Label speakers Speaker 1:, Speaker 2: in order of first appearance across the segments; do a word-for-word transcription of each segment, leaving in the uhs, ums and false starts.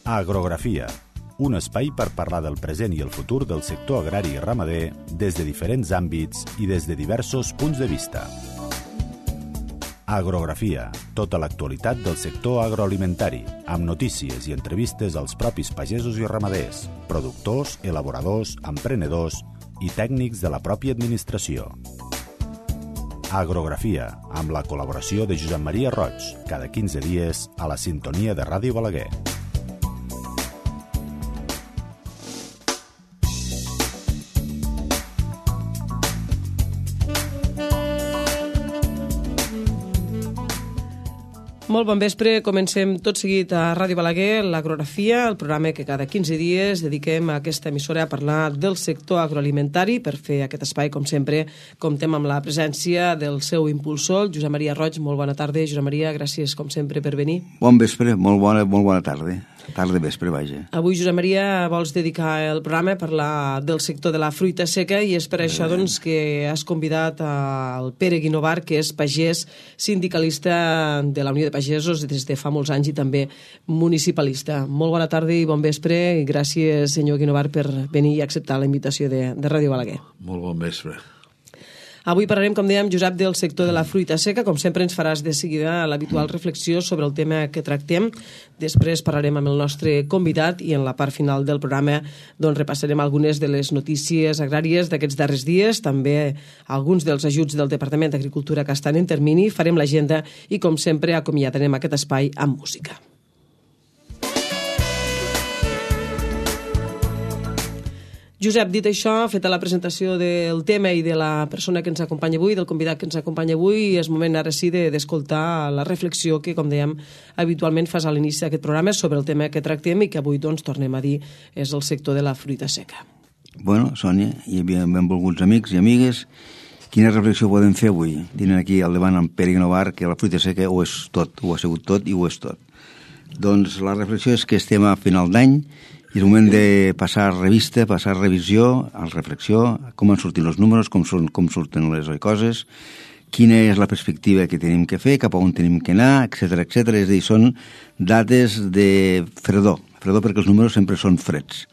Speaker 1: Agrografia, un espai per parlar del present i el futur del sector agrari i ramader des de diferents àmbits i des de diversos punts de vista. Agrografia, tota l'actualitat del sector agroalimentari, amb notícies i entrevistes als propis pagesos i ramaders, productors, elaboradors, emprenedors i tècnics de la pròpia administració. Agrografia, amb la col·laboració de Josep Maria Roig, cada quinze dies a la sintonia de Ràdio Balaguer.
Speaker 2: Molt bon vespre, comencem tot seguit a Ràdio Balaguer, l'Agrografia, el programa que cada quinze dies dediquem a aquesta emissora a parlar del sector agroalimentari. Per fer aquest espai, com sempre, comptem amb la presència del seu impulsor, Josep Maria Roig. Molt bona tarda, Josep Maria, gràcies com sempre per venir.
Speaker 3: Bon vespre, molt bona, molt bona tarda. Tarda vespre, vaja.
Speaker 2: Avui, Josep Maria, vols dedicar el programa a parlar del sector de la fruita seca i és per eh. això doncs, que has convidat al Pere Guinovar, que és pagès sindicalista de la Unió de Pagesos des de fa molts anys i també municipalista. Molt bona tarda i bon vespre i gràcies, senyor Guinovar, per venir i acceptar la invitació de, de Ràdio Balaguer.
Speaker 4: Molt bon vespre.
Speaker 2: Avui parlarem, com dèiem, Josep, del sector de la fruita seca. Com sempre ens faràs de seguida l'habitual reflexió sobre el tema que tractem. Després parlarem amb el nostre convidat i en la part final del programa doncs, repassarem algunes de les notícies agràries d'aquests darrers dies, també alguns dels ajuts del Departament d'Agricultura que estan en termini, farem l'agenda i, com sempre, acomiadarem aquest espai amb música. Josep, dit això, feta la presentació del tema i de la persona que ens acompanya avui, del convidat que ens acompanya avui, és moment ara sí d'escoltar la reflexió que, com dèiem, habitualment fas a l'inici d'aquest programa sobre el tema que tractem i que avui, doncs, tornem a dir, és el sector de la fruita seca.
Speaker 3: Bueno, Sònia, hi havia benvolguts amics i amigues. Quina reflexió podem fer avui? Tenen aquí al davant en Pere Guinovar que la fruita seca ho és tot, ho ha sigut tot i ho és tot. Doncs la reflexió és que estem a final d'any i és el moment de passar revista, passar revisió, a reflexió, com han sortit els números, com, són, com surten les coses, quina és la perspectiva que tenim que fer, cap a on tenim que anar, etcètera, etcètera. És a dir, són dates de fredor, fredor perquè els números sempre són freds.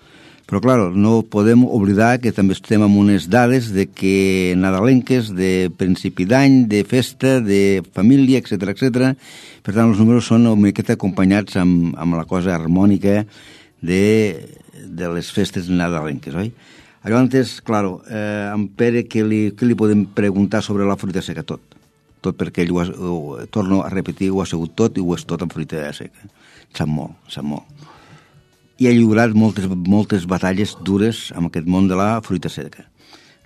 Speaker 3: Però, clar, no podem oblidar que també estem amb unes dades de que nadalenques, de principi d'any, de festa, de família, etcètera, etcètera. Per tant, els números són una miqueta acompanyats amb, amb la cosa harmònica de, de les festes nadalenques, oi? Llavors, clar, eh, en Pere, què li, què li podem preguntar sobre la fruita seca? Tot. Tot perquè ell, ho ha, ho, torno a repetir, ho ha sigut tot i ho és tot amb fruita seca. Sap molt, sap molt. I ha lliurat moltes, moltes batalles dures amb aquest món de la fruita seca.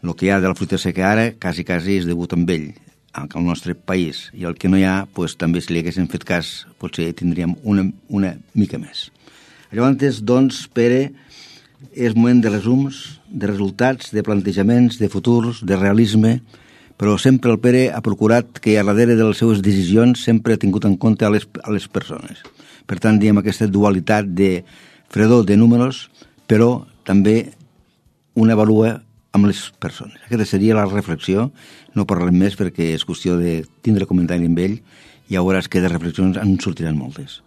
Speaker 3: El que hi ha de la fruita seca ara, quasi, quasi, és degut amb ell, al nostre país. I el que no hi ha, doncs, també si li haguessin fet cas, potser tindríem una, una mica més. Llavors, doncs, Pere, és moment de resums, de resultats, de plantejaments, de futurs, de realisme, però sempre el Pere ha procurat que a darrere de les seves decisions sempre ha tingut en compte a les, a les persones. Per tant, diem aquesta dualitat de fredor de números, però també una avalua amb les persones. Aquesta seria la reflexió, no parlarem més perquè és qüestió de tindre comentari amb ell i ja veuràs que de reflexions en sortiran moltes.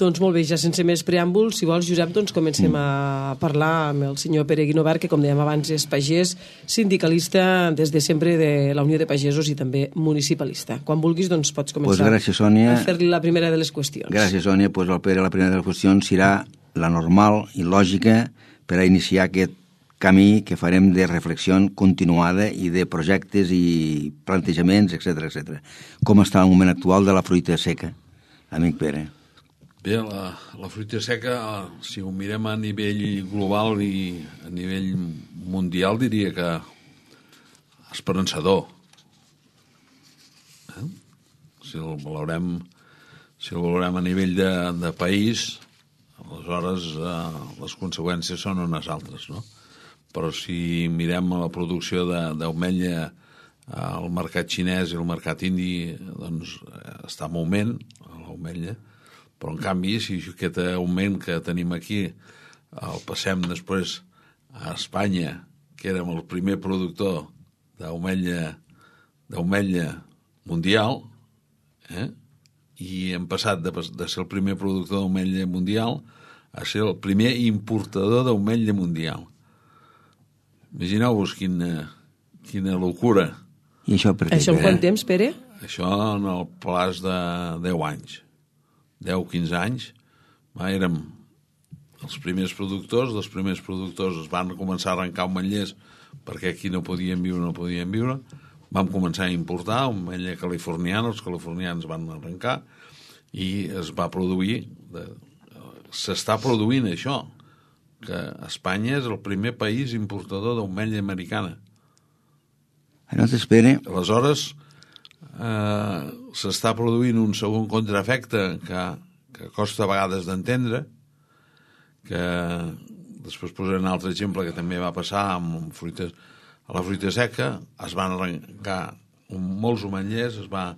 Speaker 2: Doncs molt bé, ja sense més preàmbuls, si vols, Josep, doncs comencem a parlar amb el senyor Pere Guinovar, que com dèiem abans és pagès, sindicalista des de sempre de la Unió de Pagesos i també municipalista. Quan vulguis, doncs pots començar
Speaker 3: pues gràcies, Sònia.
Speaker 2: a fer-li la primera de les qüestions.
Speaker 3: Gràcies, Sònia. Pues el Pere, la primera de les qüestions serà la normal i lògica per a iniciar aquest camí que farem de reflexió continuada i de projectes i plantejaments, etcètera, etcètera. Com està el moment actual de la fruita seca, amic Pere?
Speaker 4: Bé, la, la fruita seca, si ho mirem a nivell global i a nivell mundial, diria que esperançador. Eh? Si el valorem, si el valorem a nivell de, de país, aleshores eh, les conseqüències són unes altres, no? Però si mirem la producció d'ametlla al mercat xinès i al mercat indi, doncs està en augment, l'ametlla. Però, en canvi, si aquest augment que tenim aquí el passem després a Espanya, que érem el primer productor d'ametlla d'ametlla mundial, eh? I hem passat de, de ser el primer productor d'ametlla mundial a ser el primer importador d'ametlla mundial. Imagineu-vos quina, quina locura.
Speaker 3: I això per què?
Speaker 2: Això en quant temps, Pere?
Speaker 4: Això en el plaç de deu anys. deu quinze anys. Va, érem els primers productors, els primers productors es van començar a arrencar ametllers perquè aquí no podien viure, no podien viure. Vam començar a importar ametlla californiana, els californians van arrencar i es va produir, de, s'està produint això, que Espanya és el primer país importador d'ametlla americana.
Speaker 3: No t'espere.
Speaker 4: Aleshores, eh, s'està produint un segon contraefecte que, que costa a vegades d'entendre, que després posaré un altre exemple que també va passar amb fruites, a la fruita seca es van arrencar molts ametllers, es va,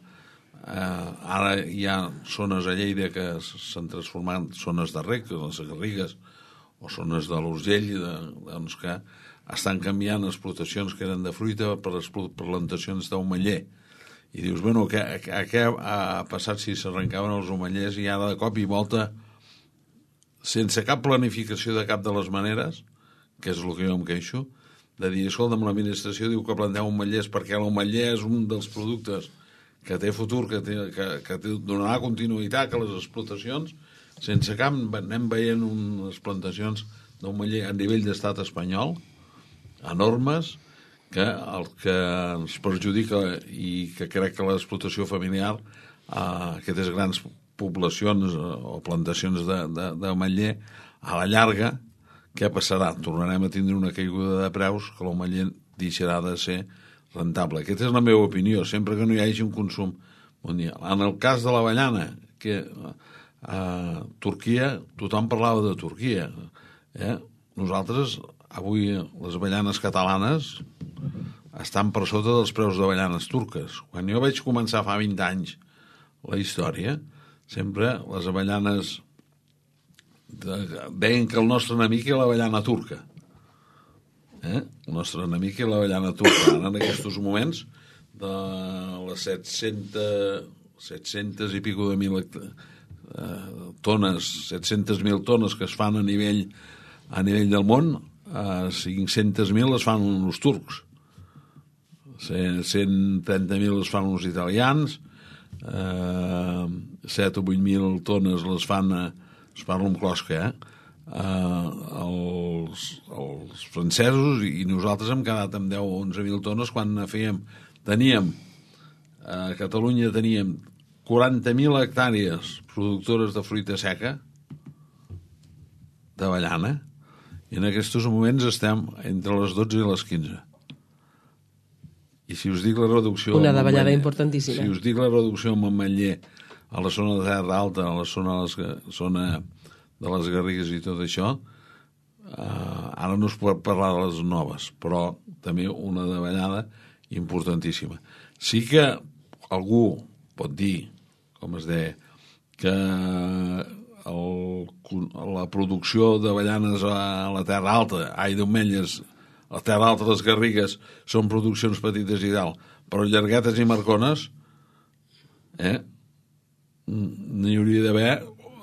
Speaker 4: eh, ara hi ha zones a Lleida que s'han transformat en zones de rec, les Garrigues, o zones de l'Urgell, de, doncs que estan canviant explotacions que eren de fruita per les plantacions d'ametller. I dius, bueno, què, què ha passat si s'arrencaven els ametllers i ara de cop i volta, sense cap planificació de cap de les maneres, que és el que jo em queixo, de dir, escolta'm, l'administració diu que planteu ametllers perquè l'ametller és un dels productes que té futur, que, té, que, que té, donarà continuïtat a les explotacions, sense cap anem veient unes plantacions d'ametller a nivell d'estat espanyol, enormes, que el que ens perjudica i que crec que l'explotació familiar, eh, aquestes grans poblacions o plantacions d'ametller, a la llarga, què passarà? Tornarem a tindre una caiguda de preus que l'ametller deixarà de ser rentable. Aquesta és la meva opinió, sempre que no hi hagi un consum mundial. En el cas de l'avellana, que a Turquia, tothom parlava de Turquia. Eh? Nosaltres, avui, les avellanes catalanes estan per sota dels preus d'avellanes turques. Quan jo vaig començar fa vint anys la història, sempre les avellanes deien que el nostre enemic era l'avellana turca. Eh? El nostre enemic era l'avellana turca. Ara, en aquests moments, de les set-centes, set-centes i pico de mil eh, tones, set-centes mil tones que es fan a nivell, a nivell del món, eh, cinc-centes mil es fan uns turcs. cent trenta mil es fan uns italians, eh, set o vuit mil tones les fan a es parla amb closca, eh? Uh, els, els francesos, i nosaltres hem quedat amb deu o onze mil tones quan fèiem, teníem a Catalunya teníem quaranta mil hectàrees productores de fruita seca d'avellana, i en aquests moments estem entre les dotze i les quinze. I si us dic la reducció...
Speaker 2: Una davallada importantíssima.
Speaker 4: Si us dic la reducció amb ametller a la zona de Terra Alta, a la zona, les, zona de les Garrigues i tot això, eh, ara no es pot parlar de les noves, però també una davallada importantíssima. Sí que algú pot dir, com es deia, que el, la producció d'avellanes a la Terra Alta, ai, d'ametllers, a la Terra Alta, les Garrigues, són produccions petites i tal, però llarguetes i marcones, eh, n'hi hauria d'haver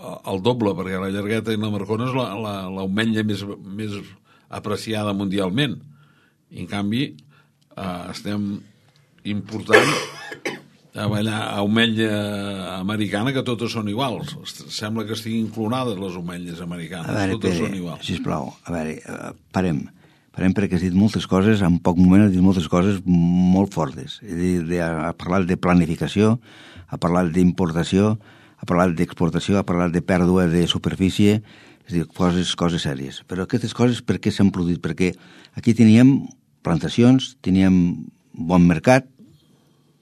Speaker 4: el doble, perquè la llargueta i la marcona és l'ametlla més, més apreciada mundialment. I en canvi eh, estem important ametlla americana, que totes són iguals. Sembla que estiguin clonades les ametlles americanes.
Speaker 3: A veure,
Speaker 4: totes
Speaker 3: Pere,
Speaker 4: són iguals.
Speaker 3: sisplau, a veure, parem. Parem perquè has dit moltes coses, en poc moment has dit moltes coses molt fortes. Ha parlat de planificació, ha parlat d'importació, ha parlat d'exportació, ha parlat de pèrdua de superfície, és a dir, coses, coses sèries. Però aquestes coses per què s'han produït? Perquè aquí teníem plantacions, teníem bon mercat,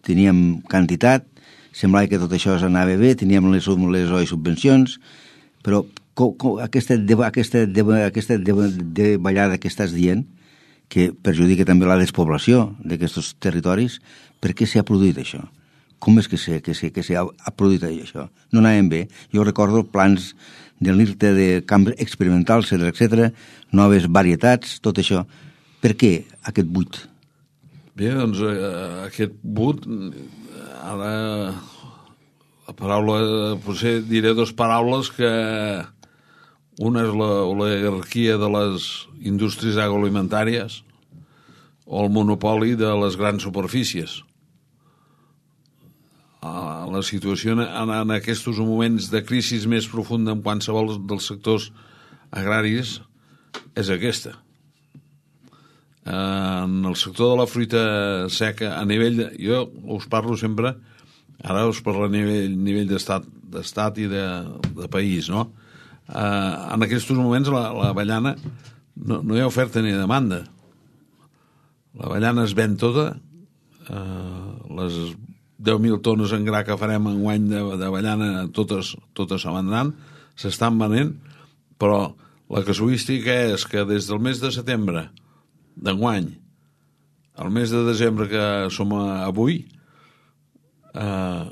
Speaker 3: teníem quantitat, semblava que tot això s'anava bé, teníem les, les oi subvencions, però com, com, aquesta, aquesta, aquesta davallada que estàs dient, que perjudica també la despoblació d'aquests territoris, per què s'ha produït això? Com és que s'ha que que ha produït això? No anàvem bé. Jo recordo plans de l'I R T E de camps experimentals, etcètera, noves varietats, tot això. Per què aquest buit?
Speaker 4: Bé, doncs eh, aquest but, ara la paraula, potser diré dues paraules que Una és l'oligarquia de les indústries agroalimentàries o el monopoli de les grans superfícies. La situació en, en aquests moments de crisi més profunda en qualsevol dels sectors agraris és aquesta. En el sector de la fruita seca, a nivell de, jo us parlo sempre, ara us parlo a nivell, nivell d'estat, d'estat i de, de país, no? Uh, en aquests moments l'avellana no, no hi ha oferta ni demanda. L'avellana es ven tota, uh, les deu mil tones en gra que farem en guany d'avellana totes, totes se vendran, s'estan venent, però la casuística és que des del mes de setembre d'enguany al mes de desembre que som avui, uh,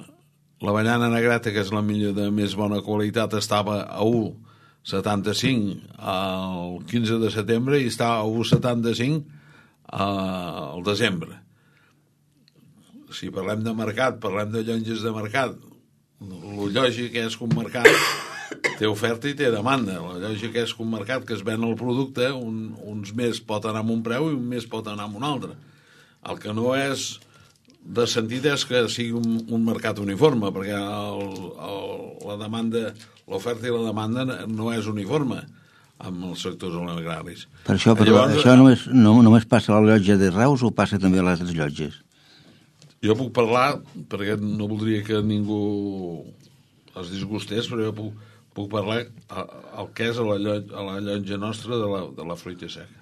Speaker 4: l'avellana negreta, que és la millor de més bona qualitat, estava a u coma setanta-cinc el quinze de setembre i està a u coma setanta-cinc al desembre. Si parlem de mercat, parlem de llonges de mercat, el lògic és que un mercat té oferta i té demanda. La lògica és que un mercat que es ven el producte, un, uns més pot anar amb un preu i un més pot anar amb un altre. El que no és de sentit és que sigui un, un mercat uniforme, perquè el, el, la demanda, l'oferta i la demanda no és uniforme amb els sectors agraris.
Speaker 3: Per això, però, Llavors, això només, no, només passa a la llotja de Reus o passa també a les altres llotges?
Speaker 4: Jo puc parlar, perquè no voldria que ningú es disgustés, però jo puc, puc parlar el que és a la llotja, a la llotja nostra de la, de la fruita seca.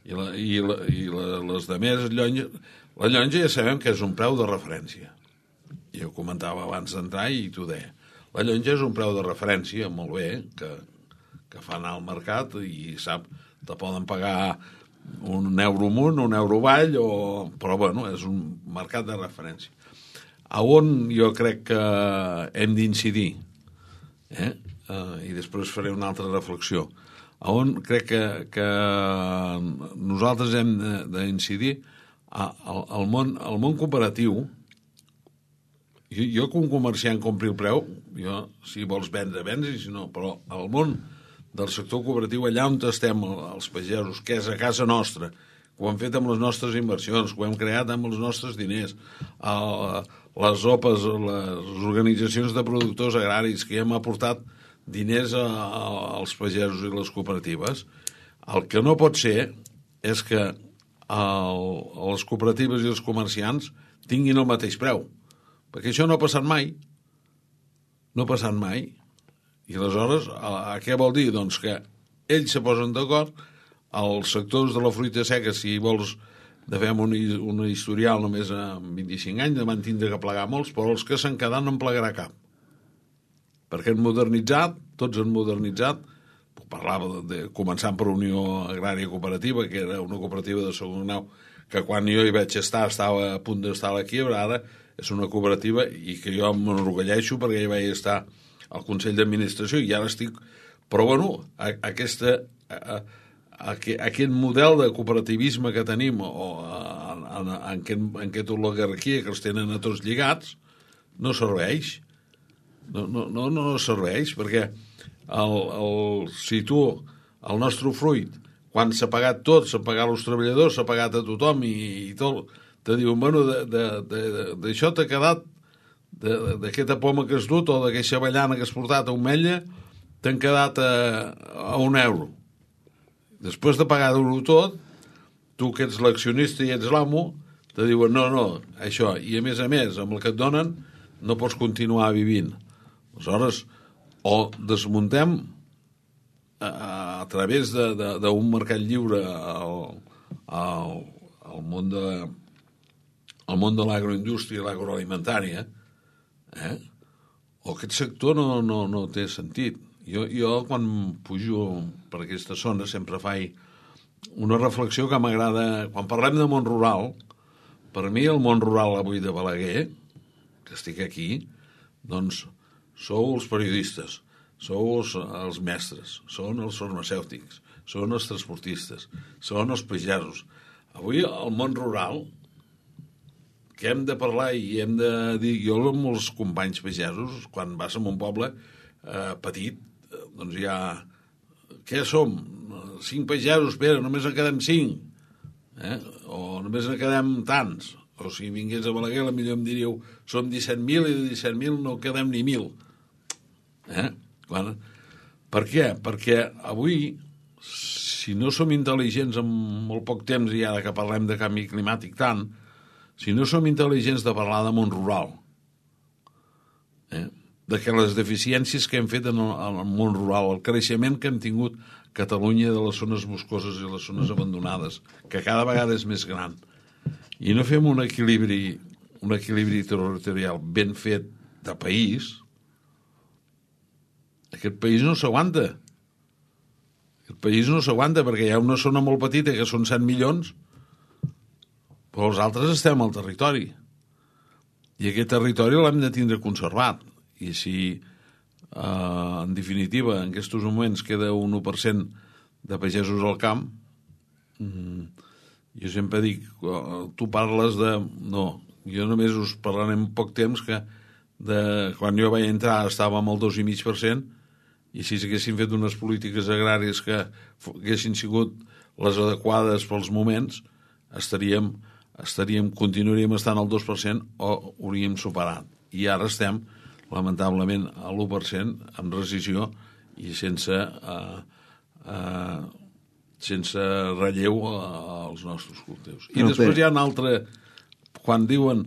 Speaker 4: I, la, i, la, i la, les demés llotges... La llotja ja sabem que és un preu de referència. Jo ho comentava abans d'entrar i t'ho deia. La llotja és un preu de referència, molt bé, que, que fa anar al mercat i sap, te poden pagar un euro amunt, un euro avall, o... però bueno, és un mercat de referència. A on jo crec que hem d'incidir, eh? Uh, i després faré una altra reflexió, a on crec que, que nosaltres hem d'incidir, al, al, món, al món cooperatiu. Jo, jo que un comerciant compri el preu, jo, si vols vendre, vendre, si no, però al món del sector cooperatiu, allà on estem els pagesos, que és a casa nostra, que ho hem fet amb les nostres inversions, que ho hem creat amb els nostres diners, el, les O P Es, les organitzacions de productors agraris, que hem aportat diners a, a, als pagesos i les cooperatives, el que no pot ser és que el, les cooperatives i els comerciants tinguin el mateix preu, perquè això no ha passat mai, no ha passat mai, i aleshores a, a què vol dir? Doncs que ells se posen d'acord, els sectors de la fruita seca, si vols de fer un, un historial només amb vint-i-cinc anys, van tindre que plegar molts, però els que s'han quedat no en plegarà cap, perquè han modernitzat, tots han modernitzat. Parlava de, de començant per Unió Agrària Cooperativa, que era una cooperativa de segon grau, que quan jo hi vaig estar estava a punt d'estar a la quiebra, ara és una cooperativa i que jo m'enorgulleixo perquè hi vaig estar al Consell d'Administració i ara estic... Però, bueno, a, aquesta, a, a, a, aquest model de cooperativisme que tenim, o en, en, en, en, en aquesta oligarquia que els tenen a tots lligats, no serveix. No, no, no, no serveix, perquè El, el, si tu, el nostre fruit, quan s'ha pagat tot, s'ha pagat als treballadors, s'ha pagat a tothom i, i tot, te diuen, bueno, d'això t'ha quedat, d'aquesta poma que has dut o d'aquesta avellana que has portat a un metge, t'han quedat a, a un euro. Després de pagar-ho tot, tu que ets l'accionista i ets l'amo, te diuen, no, no, això, i a més a més, amb el que et donen, no pots continuar vivint. Aleshores, o desmuntem a, a través d'un mercat lliure al, al, al món de al món de l'agroindústria i l'agroalimentària, eh? O aquest sector no, no, no té sentit. Jo, jo quan pujo per aquesta zona sempre faig una reflexió que m'agrada. Quan parlem de món rural, per mi el món rural avui de Balaguer, que estic aquí, doncs sou els periodistes, sou els, els mestres, són els farmacèutics, són els transportistes, són els pagesos. Avui el món rural, que hem de parlar i hem de dir, jo amb els companys pagesos, quan vas a un poble eh, petit, doncs hi ha què som? Cinc pagesos, espera, només en quedem cinc. Eh? O només en quedem tants. O si vingués a Balaguer, potser em diríeu, som disset mil i de disset mil no quedem ni mil. Eh? Quan... Per què? Perquè avui, si no som intel·ligents en molt poc temps, i ara que parlem de canvi climàtic tant, si no som intel·ligents de parlar de món rural, eh? de que les deficiències que hem fet en el, en el món rural, el creixement que hem tingut Catalunya de les zones boscoses i les zones abandonades, que cada vegada és més gran, i no fem un equilibri, un equilibri territorial ben fet de país, aquest país no s'aguanta. Aquest país no s'aguanta perquè hi ha una zona molt petita que són set milions, però els altres estem al territori. I aquest territori l'hem de tindre conservat. I si, eh, en definitiva, en aquests moments queda un u per cent de pagesos al camp, mm, jo sempre dic, tu parles de... No, jo només us parlaré en poc temps que de, quan jo vaig entrar estàvem al dos i mig per cent, i si s'haguessin fet unes polítiques agràries que haguessin sigut les adequades pels moments, estaríem, estaríem continuaríem estant al dos per cent o hauríem superat. I ara estem, lamentablement, a l'u per cent amb rescisió i sense eh, eh, sense relleu als nostres cultius. I no, després però... hi ha un altre, quan diuen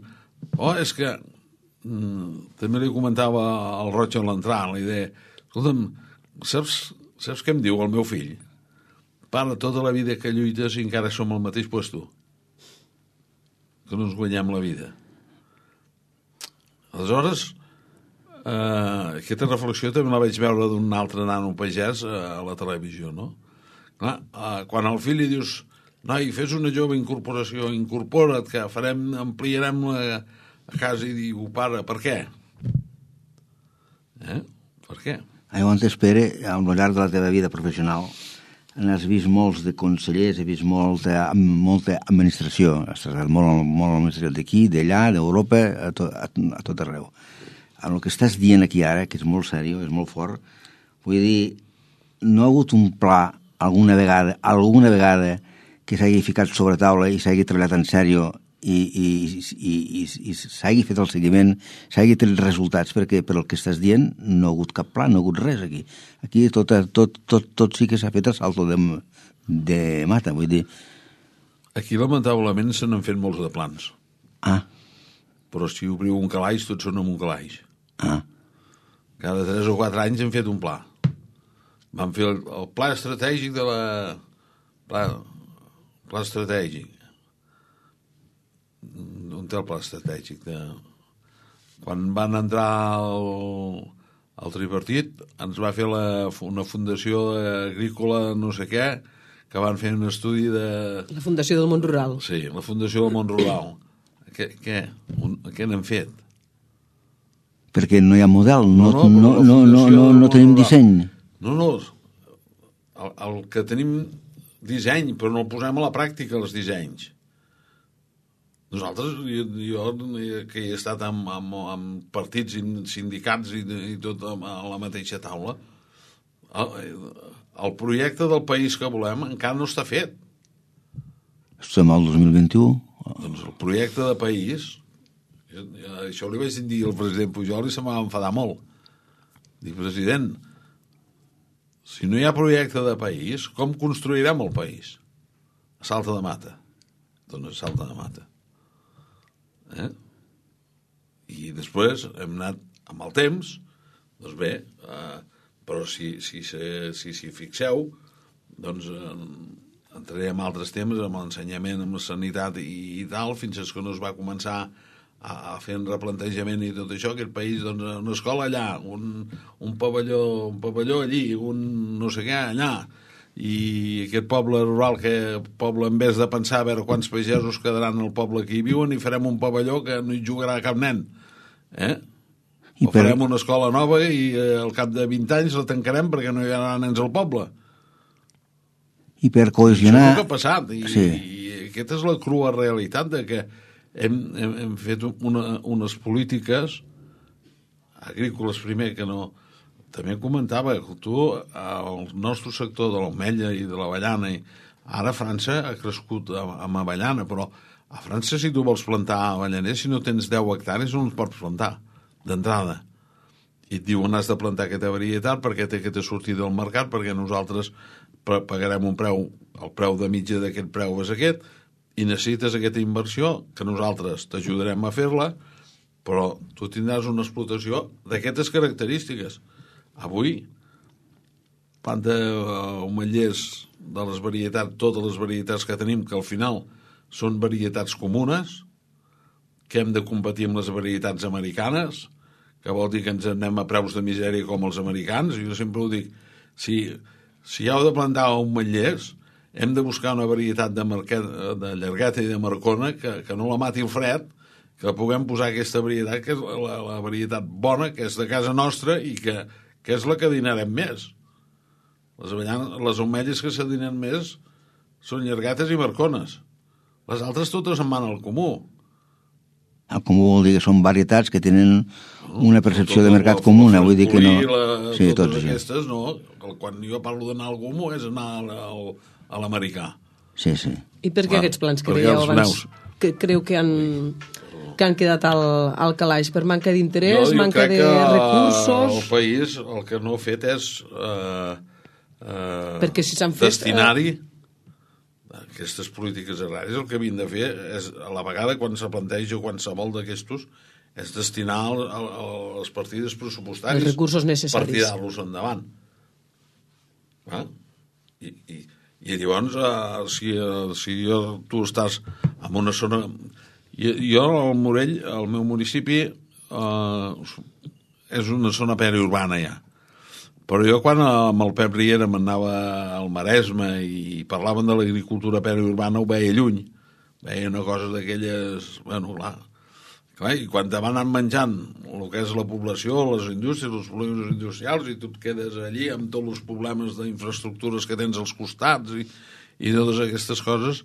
Speaker 4: oh, és que mm, també li comentava al Roig a l'entrar la idea, escolta'm, saps, saps què em diu el meu fill? Pare, tota la vida que lluites i encara som al mateix puesto, que no ens guanyem la vida. Aleshores, eh, aquesta reflexió també la vaig veure d'un altre nano pagès a la televisió, no? Clar, eh, quan al fill li dius noi, fes una jove incorporació, incorpora't, que farem, ampliarem la casa, i diu, pare, per què? Eh? Per què?
Speaker 3: Llavors, Pere, al llarg de la teva vida professional has vist molts de consellers, has vist molta, molta administració, has treballat molt, molt administració d'aquí, d'allà, d'Europa, a, to, a, a tot arreu. En el que estàs dient aquí ara, que és molt seriós, és molt fort, vull dir, no ha hagut un pla alguna vegada, alguna vegada que s'hagi ficat sobre taula i s'hagi treballat en sèrio i, i, i, i, i s'hagi fet el seguiment, s'hagi tret resultats, perquè per el que estàs dient no ha hagut cap pla, no ha hagut res aquí. Aquí tot, tot, tot, tot sí que s'ha fet a salto de, de mata, vull dir.
Speaker 4: Aquí, lamentablement, se n'han fet molts de plans.
Speaker 3: Ah.
Speaker 4: Però si obriu un calaix, tots són amb un calaix.
Speaker 3: Ah.
Speaker 4: Cada tres o quatre anys hem fet un pla. Vam fer el, el pla estratègic de la... Pla, pla estratègic. On té el pla estratègic? De... Quan van entrar al, al tripartit, ens va fer la, una fundació agrícola no sé què, que van fer un estudi de...
Speaker 2: La Fundació del Món Rural.
Speaker 4: Sí, la Fundació del Món Rural. Què, què? Un, què n'hem fet?
Speaker 3: Perquè no hi ha model, no,
Speaker 4: no, no,
Speaker 3: no, no, no, no, no tenim disseny.
Speaker 4: No, no, el, el que tenim disseny, però no el posem a la pràctica, els dissenys. Nosaltres, jo, jo que he estat amb, amb, amb partits i sindicats i, i tot a la mateixa taula, el, el projecte del país que volem encara no està fet.
Speaker 3: Estem al dos mil vint-i-u.
Speaker 4: Doncs el projecte de país, jo, això li vaig dir al president Pujol i se m'ha enfadar molt. Dic, president, si no hi ha projecte de país, com construirem el país? A salta de mata. Doncs a salta de mata. Eh? I després hem anat amb el temps, doncs bé, eh, però si si, si, si, si fixeu, doncs eh, entrarem en altres temes, amb l'ensenyament, amb la sanitat i, i tal, fins que no es va començar a, a fer un replantejament i tot això, aquest país, doncs, una escola allà, un, un, pavelló, un pavelló allí, un no sé què allà, i aquest poble rural, que poble, en vez de pensar a veure quants pagesos quedaran al poble que hi viuen, i farem un pavelló que no hi jugarà cap nen, eh? I o per... farem una escola nova i eh, al cap de vint anys la tancarem perquè no hi haurà nens al poble.
Speaker 3: I per cohesionar...
Speaker 4: Això és el que ha passat, i,
Speaker 3: sí.
Speaker 4: i aquesta és la crua realitat de que hem, hem, hem fet una, unes polítiques agrícoles primer que no, també comentava que tu, el nostre sector de l'ametlla i de l'avellana, ara a França ha crescut amb avellana, però a França si tu vols plantar avellaner, si no tens deu hectàrees no els pots plantar, d'entrada. I et diuen has de plantar aquesta varietat perquè té que te sortir del mercat, perquè nosaltres pagarem un preu, el preu de mitja d'aquest preu és aquest, i necessites aquesta inversió que nosaltres t'ajudarem a fer-la, però tu tindràs una explotació d'aquestes característiques. Avui, planta ametllers de les varietats, totes les varietats que tenim, que al final són varietats comunes, que hem de competir amb les varietats americanes, que vol dir que ens anem a preus de misèria com els americans. Jo sempre ho dic, si, si heu de plantar ametllers, hem de buscar una varietat de, marquet, de llargueta i de marcona que, que no la mati el fred, que puguem posar aquesta varietat, que és la, la varietat bona, que és de casa nostra i que, que és la que dinarem més. Les, avellanes, les ametlles que s'adinen més són llarguetes i marcones. Les altres totes en van al comú.
Speaker 3: El comú vol dir que són varietats que tenen una percepció de mercat comuna, vull dir que no...
Speaker 4: La, sí, totes aquestes, no. Quan jo parlo d'anar al comú és anar al, a l'americà.
Speaker 3: Sí, sí.
Speaker 2: I per què
Speaker 4: Clar,
Speaker 2: aquests plans que dèieu abans que creu que han, que han quedat al, al calaix? Per manca d'interès, manca de recursos?
Speaker 4: El país el que no ha fet és eh, eh,
Speaker 2: perquè si s'han fet
Speaker 4: destinar-hi aquestes polítiques agràries. El que havien de fer és, a la vegada, quan se planteja qualsevol d'aquestos, és destinar el, el, les partides pressupostàries,
Speaker 2: els recursos necessaris,
Speaker 4: per tirar-los endavant. Ah? I, i, i llavors, eh, si, si jo, tu estàs en una zona... Jo, jo al Morell, el meu municipi, eh, és una zona periurbana ja. Però jo quan amb el Pep Riera m'anava al Maresme i parlaven de l'agricultura periurbana ho veia lluny. Veia una cosa d'aquelles... Bueno, clar. clar. I quan te van anar menjant el que és la població, les indústries, els problemes industrials, i tu et quedes allí amb tots els problemes d'infraestructures que tens als costats i, i totes aquestes coses,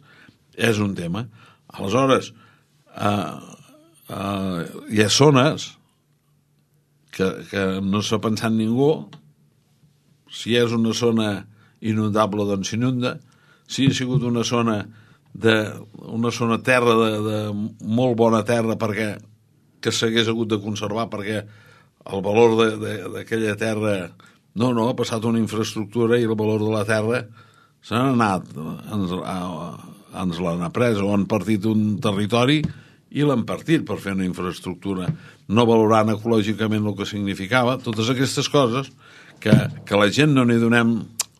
Speaker 4: és un tema. Aleshores, eh, eh, hi ha zones que, que no s'ha pensat ningú. Si és una zona inundable, doncs s'inunda. Si ha sigut una zona de una zona terra de, de molt bona terra perquè que s'hagués hagut de conservar perquè el valor d'aquella terra no, no, ha passat una infraestructura i el valor de la terra s'ha anat, ens, ens l'han après o han partit un territori i l'han partit per fer una infraestructura, no valorant ecològicament el que significava. Totes aquestes coses que, que la gent no n'hi donem,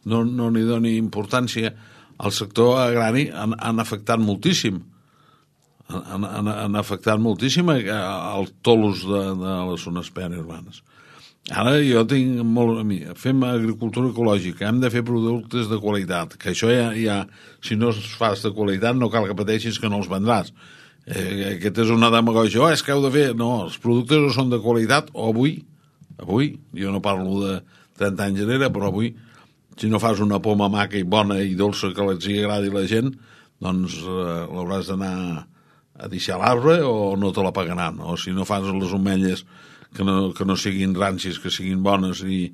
Speaker 4: no, no n'hi doni importància, al sector agrari han, han afectat moltíssim. Han, han, han afectat moltíssim els tolos de, de les zones periurbanes. Ara jo tinc molt... Fem agricultura ecològica, hem de fer productes de qualitat, que això ja, ja si no es fas de qualitat no cal que pateixis que no els vendràs. Eh, aquest és una demagògia, oh, és que heu de fer... No, els productes o són de qualitat o avui, avui, jo no parlo de trenta anys enrere, però avui, si no fas una poma maca i bona i dolça que els hi agradi la gent, doncs eh, l'hauràs d'anar a deixar l'arbre o no te la pagaran. O si no fas les ametlles que no, que no siguin rancis, que siguin bones i,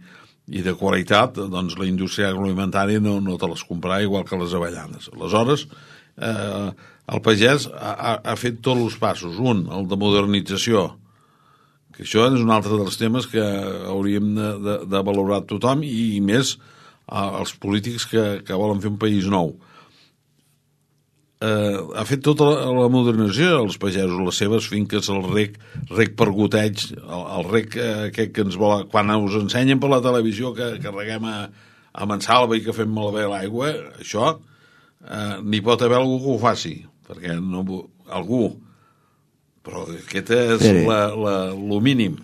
Speaker 4: i de qualitat, doncs la indústria agroalimentària no, no te les comprarà igual que les avellanes. Aleshores, eh, el pagès ha, ha fet tots els passos. Un, el de modernització, que això és un altre dels temes que hauríem de, de, de valorar tothom i, i més eh, els polítics que, que volen fer un país nou. Eh, ha fet tota la, la modernització dels pagesos, les seves finques, el rec, rec per goteig, el, el rec eh, aquest que ens vol... Quan us ensenyen per la televisió que, que reguem a, a Mansalva i que fem malbé l'aigua, això eh, n'hi pot haver algú que ho faci, perquè no, algú... Però aquest és la, la, lo mínim.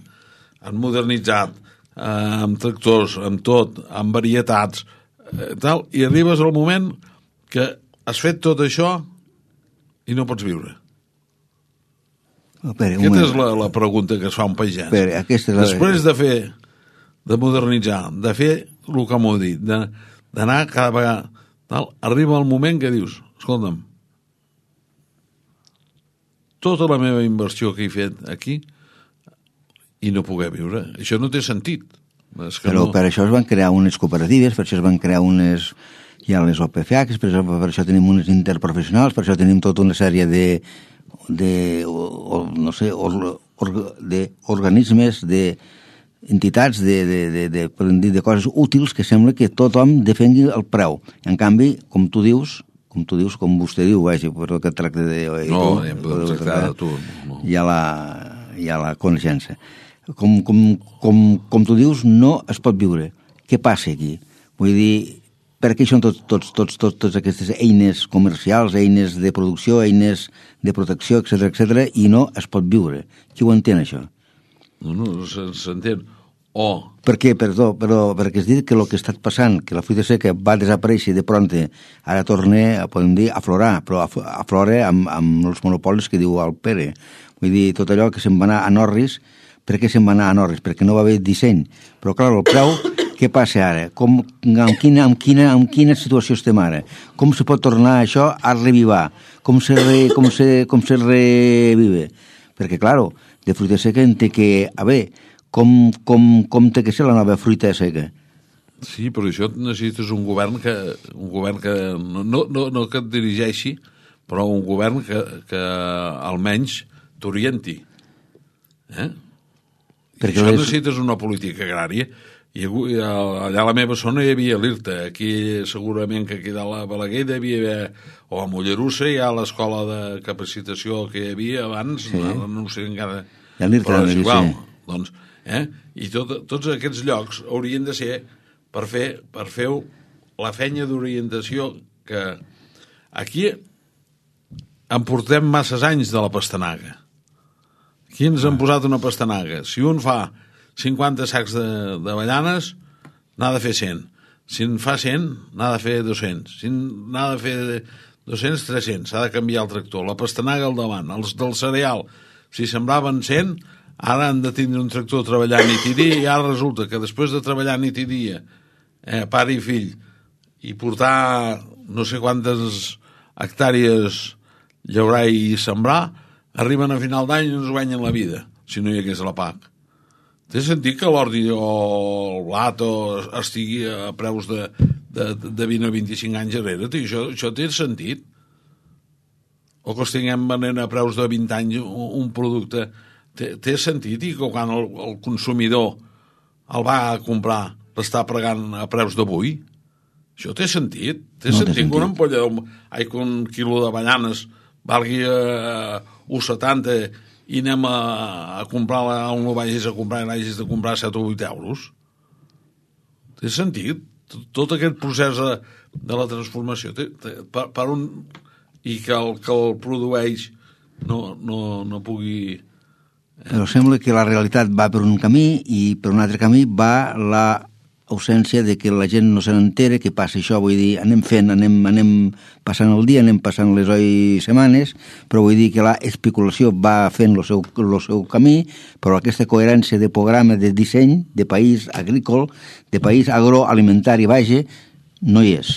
Speaker 4: Han modernitzat eh, amb tractors, amb tot, amb varietats, eh, tal, i arribes al moment que has fet tot això i no pots viure.
Speaker 3: Oh, Pere,
Speaker 4: aquesta és la, la pregunta que es fa un pagès.
Speaker 3: Pere, aquesta és la...
Speaker 4: Després de fer, de modernitzar, de fer el que m'ho dit, d'anar cada vegada, tal, arriba el moment que dius, escolta'm, tota la meva inversió que he fet aquí i no poder viure. Això no té sentit.
Speaker 3: Però no... per això es van crear unes cooperatives, per això es van crear unes... Hi ha les O P F A, per això, per això tenim unes interprofessionals, per això tenim tota una sèrie de, de o, no sé, or, or, de organismes, de entitats, de, de, de, de, de, de coses útils que sembla que tothom defengui el preu. En canvi, com tu dius, com tu dius, com vostè diu, vagi, per el que tracta de...
Speaker 4: No, tu, hem de tractar de tu. No.
Speaker 3: Hi ha la, hi ha la coneixença. Com, com, com, com tu dius, no es pot viure. Què passa aquí? Vull dir, per què són tots, tots, tots, tots, tots aquestes eines comercials, eines de producció, eines de protecció, etcètera, etcètera, i no es pot viure? Qui ho entén, això?
Speaker 4: No, no, s'entén. O...
Speaker 3: Per què? Perdó, però perquè es dit que el que està passant, que la fruita seca va desaparèixer de pronte, ara torna, podem dir, a aflorar, però aflora amb, amb els monopolis que diu el Pere. Vull dir, tot allò que se'n va anar a Norris, per què se'n va anar a Norris? Perquè no va haver disseny. Però, clar, el preu, què passa ara? Com, en, quina, en, quina, en quina situació estem ara? Com se pot tornar això a revivar? Com se, re, com se, com se revive? Perquè, clar, de fruita seca en té que haver... Com, com, com té que ser la nova fruita seca?
Speaker 4: Sí, però això necessites un govern que, un govern que no, no, no que et dirigeixi, però un govern que, que almenys t'orienti. Eh? Perquè això les... necessites una política agrària. I allà a la meva zona hi havia l'I R T A, aquí segurament que aquí a la Balaguer hi devia haver, o a Mollerussa hi ha l'escola de capacitació que hi havia abans, sí. no, no sé encara...
Speaker 3: Ja l'I R T A,
Speaker 4: però és igual, doncs... Eh? I tot, tots aquests llocs haurien de ser per fer, per fer la feina d'orientació que aquí en portem masses anys de la pastanaga. Aquí ens han posat una pastanaga. Si un fa cinquanta sacs d'avellanes, n'ha de fer cent. Si en fa cent, n'ha de fer dos-cents. Si n'ha de fer dos-cents, tres-cents. S'ha de canviar el tractor. La pastanaga al davant. Els del cereal, si sembraven cent... Ara han de tindre un tractor treballant nit i dia i ara resulta que després de treballar nit i dia, eh, pare i fill, i portar no sé quantes hectàrees llaurar i sembrar, arriben a final d'any i no ens guanyen la vida, si no hi hagués la P A C. Té sentit que l'ordi o el blat o estigui a preus de, de, de vint o vint-i-cinc anys darrere? Això, això té sentit? O que estiguem venent a preus de vint anys un, un producte... Té, té sentit i que quan el, el consumidor el va a comprar l'està pagant a preus d'avui? Això té sentit? Té no sentit, té sentit que una ampolla, ai, que un quilo d'avellanes valgui a un coma setanta i anem a, a comprar-la on no vagis a comprar i n'hagis de comprar set o vuit euros? Té sentit? Tot aquest procés de, de la transformació té, té, per, per un... i que el que el produeix no, no, no pugui...
Speaker 3: Però sembla que la realitat va per un camí i per un altre camí va la ausència de que la gent no se n'entera que passa això, vull dir, anem fent, anem, anem passant el dia, anem passant les oi setmanes, però vull dir que la especulació va fent el seu, el seu camí, però aquesta coherència de programa, de disseny, de país agrícola, de país agroalimentari, vaja, no hi és.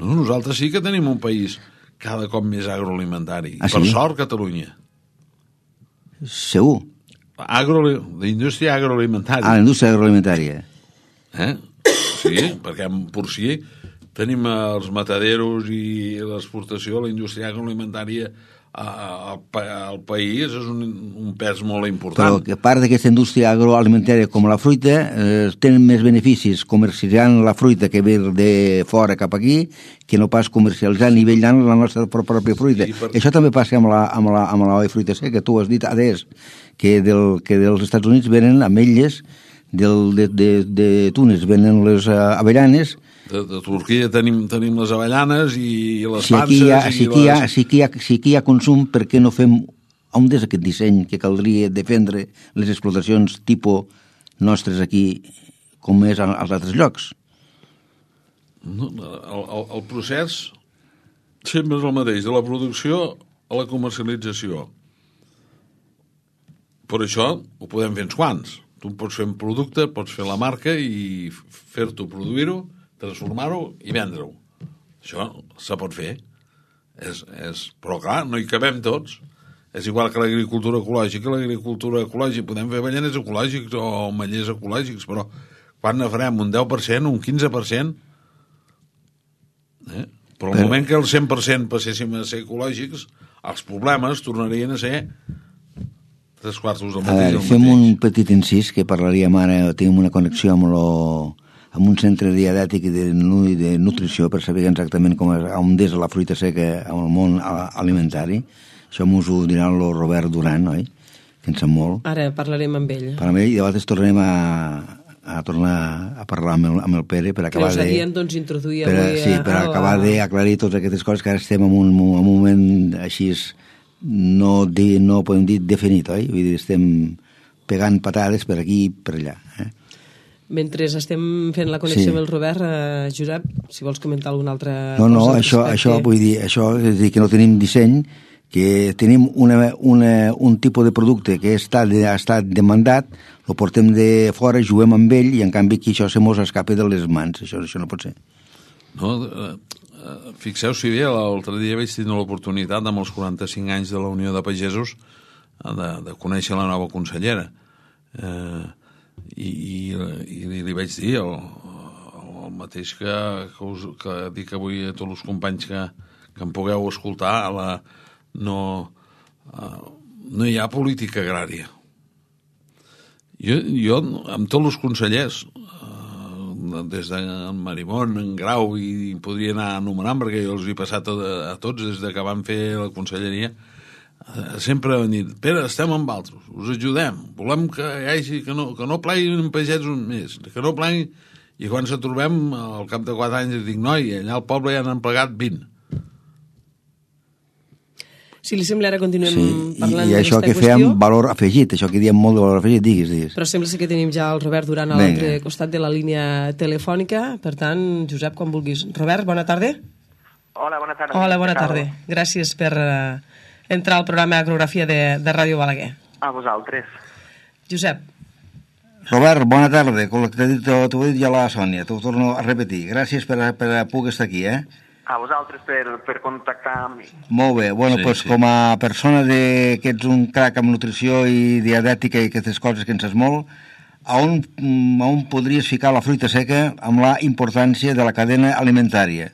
Speaker 4: No, nosaltres sí que tenim un país cada cop més agroalimentari.
Speaker 3: Ah, sí?
Speaker 4: Per sort, Catalunya.
Speaker 3: Segur.
Speaker 4: Agro, la indústria agroalimentària.
Speaker 3: Ah, la indústria agroalimentària.
Speaker 4: Eh? Sí, perquè en porcí tenim els mataderos i l'exportació, la indústria agroalimentària al, al país és un, un pes molt important.
Speaker 3: Però que a part d'aquesta indústria agroalimentària com la fruita, eh, tenen més beneficis comercialitzant la fruita que ve de fora cap aquí que no pas comercialitzant i vetllant la nostra pròpia fruita. Sí, per... Això també passa amb la, amb la, amb la fruita seca. Tu has dit, adés, que, del, que dels Estats Units venen ametlles, del, de, de, de Tunis venen les uh, avellanes.
Speaker 4: De, de Turquia tenim, tenim les avellanes i les
Speaker 3: si
Speaker 4: panses...
Speaker 3: Aquí ha,
Speaker 4: i
Speaker 3: si, aquí
Speaker 4: les...
Speaker 3: ha, si, aquí ha, si aquí hi ha consum, per què no fem on és aquest disseny que caldria defendre les explotacions tipus nostres aquí com és als altres llocs?
Speaker 4: No, el, el, el procés sempre és el mateix, de la producció a la comercialització. Per això ho podem fer uns quants. Tu pots fer un producte, pots fer la marca i fer-t'ho, produir-ho, transformar-ho i vendre-ho. Això se pot fer. És, és... Però clar, no hi cabem tots. És igual que l'agricultura ecològica, l'agricultura ecològica. Podem fer avellaners ecològics o ametllers ecològics, però quan ne farem? Un deu per cent, un quinze per cent? Eh? Però al moment que el cent per cent passéssim a ser ecològics, els problemes tornarien a ser tres quartos del mateix.
Speaker 3: A veure, fem un petit incís que parlaríem ara, tenim una connexió amb, lo, amb un centre dietètic i de, de nutrició per saber exactament com és, on és la fruita seca en el món alimentari. Això m'ho ho dirà el Robert Duran, oi? Que en sap molt.
Speaker 2: Ara parlarem amb ell.
Speaker 3: Parlarem amb ell i llavors tornarem a, a tornar a parlar amb el, amb el Pere per acabar de...
Speaker 2: Que us doncs, introduir
Speaker 3: per,
Speaker 2: avui...
Speaker 3: Sí, per a, acabar a... d'aclarir totes aquestes coses que ara estem en un, en un moment així... No, di, no podem dir definit, oi? Vull dir, estem pegant patades per aquí i per allà. Eh?
Speaker 2: Mentre estem fent la connexió
Speaker 3: sí.
Speaker 2: amb el Robert, eh, Josep, si vols comentar alguna altra
Speaker 3: no,
Speaker 2: cosa...
Speaker 3: No, no, això, això vull dir, això és dir, que no tenim disseny, que tenim una, una, un tipus de producte que està, ha estat demandat, lo portem de fora, juguem amb ell i en canvi aquí això se mos escapa de les mans. Això, això no pot ser.
Speaker 4: No, eh... Fixeu-s'hi bé, l'altre dia vaig tenir l'oportunitat amb els quaranta-cinc anys de la Unió de Pagesos de, de conèixer la nova consellera eh, i, i, i li vaig dir el, el mateix que, que, us, que dic avui a tots els companys que, que em pugueu escoltar, la, no, eh, no hi ha política agrària. Jo, jo amb tots els consellers, des de Marimón, en Grau, i podria anar anomenant perquè jo els he passat a, a tots des de que van fer la conselleria, sempre han dit, Pere, estem amb altres, us ajudem, volem que hi hagi, que no, que no pleguin pagesos més, que no pleguin, i quan se trobem al cap de quatre anys dic, noi, allà al poble ja n'han plegat vint.
Speaker 2: Si li sembla, ara continuem
Speaker 3: sí,
Speaker 2: parlant
Speaker 3: i, i això que
Speaker 2: qüestió.
Speaker 3: fèiem valor afegit, això que diem molt de valor afegit, digues, digues.
Speaker 2: Però sembla que tenim ja el Robert Duran a l'altre costat de la línia telefònica, per tant, Josep, quan vulguis. Robert, bona tarda.
Speaker 5: Hola, bona tarda.
Speaker 2: Hola, bona tarda. Gràcies per uh, entrar al programa Agrografia de, de Ràdio Balaguer.
Speaker 5: A vosaltres.
Speaker 2: Josep.
Speaker 3: Robert, bona tarda. Com t'ho he dit ja la Sònia, t'ho torno a repetir. Gràcies per, per poder estar aquí, eh?
Speaker 5: A vosaltres per, per contactar amb mi.
Speaker 3: Molt bé. Bueno, sí, pues, sí. Com a persona de, que ets un crac amb nutrició i dietètica i aquestes coses que en saps molt, a on, a on podries ficar la fruita seca amb la importància de la cadena alimentària?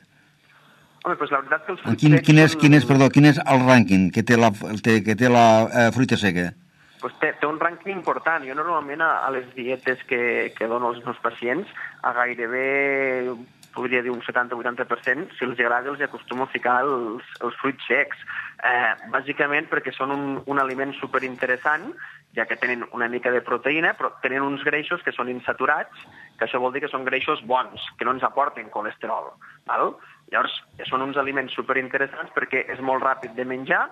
Speaker 5: Home, pues la veritat que els fruits
Speaker 3: quin,
Speaker 5: secs...
Speaker 3: Quin és, quin, és, perdó, quin és el rànquing que té la, que té la eh, fruita seca?
Speaker 5: Pues té, té un rànquing important. Jo normalment a, a les dietes que, que dono als meus pacients, a gairebé... podria dir un setanta a vuitanta per cent, si els agrada els acostumo a ficar els, els fruits secs. Eh, bàsicament perquè són un, un aliment superinteressant, ja que tenen una mica de proteïna, però tenen uns greixos que són insaturats, que això vol dir que són greixos bons, que no ens aporten colesterol. Val? Llavors, són uns aliments superinteressants perquè és molt ràpid de menjar,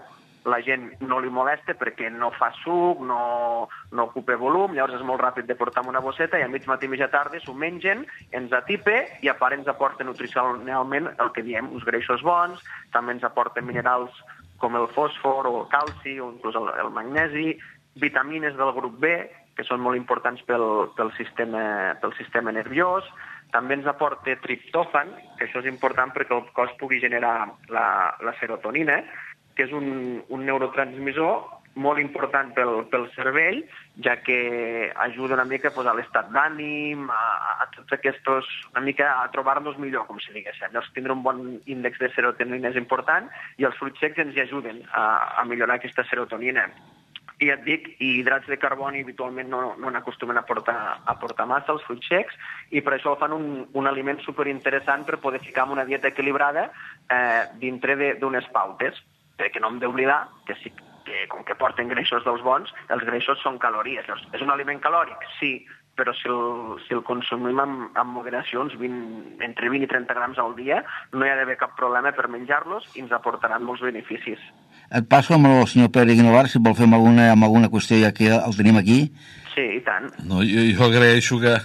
Speaker 5: la gent no li molesta perquè no fa suc, no, no ocupa volum, llavors és molt ràpid de portar en una bosseta i a mig matí i mitja tarda s'ho mengen, ens atipa i a part ens aporta nutricionalment el que diem, uns greixos bons, també ens aporta minerals com el fòsfor o el calci o inclús el, el magnesi, vitamines del grup B, que són molt importants pel, pel, sistema, pel sistema nerviós, també ens aporta triptòfan, que això és important perquè el cos pugui generar la, la serotonina, que és un, un neurotransmissor molt important pel, pel cervell, ja que ajuda una mica pues, a l'estat d'ànim, a, a tots aquests, una mica a trobar-nos millor, com si diguéssim. Llavors, tindre un bon índex de serotonina és important i els fruits secs ens hi ajuden a, a millorar aquesta serotonina. I et dic, i hidrats de carboni habitualment no, no n'acostumen a portar, a portar massa, els fruits secs, i per això fan un, un aliment superinteressant per poder ficar en una dieta equilibrada eh, dintre d'unes pautes. Que no hem d'oblidar que, sí, que com que porten greixos dels bons, els greixos són calories. És un aliment calòric? Sí, però si el, si el consumim amb, amb moderació, uns vint, entre vint i trenta grams al dia, no hi ha d'haver cap problema per menjar-los i ens aportaran molts beneficis.
Speaker 3: Et passo amb el senyor Pere Guinovar, si vol fer amb alguna, amb alguna qüestió ja que el tenim aquí.
Speaker 5: Sí, i tant.
Speaker 4: No, jo, jo agraeixo que,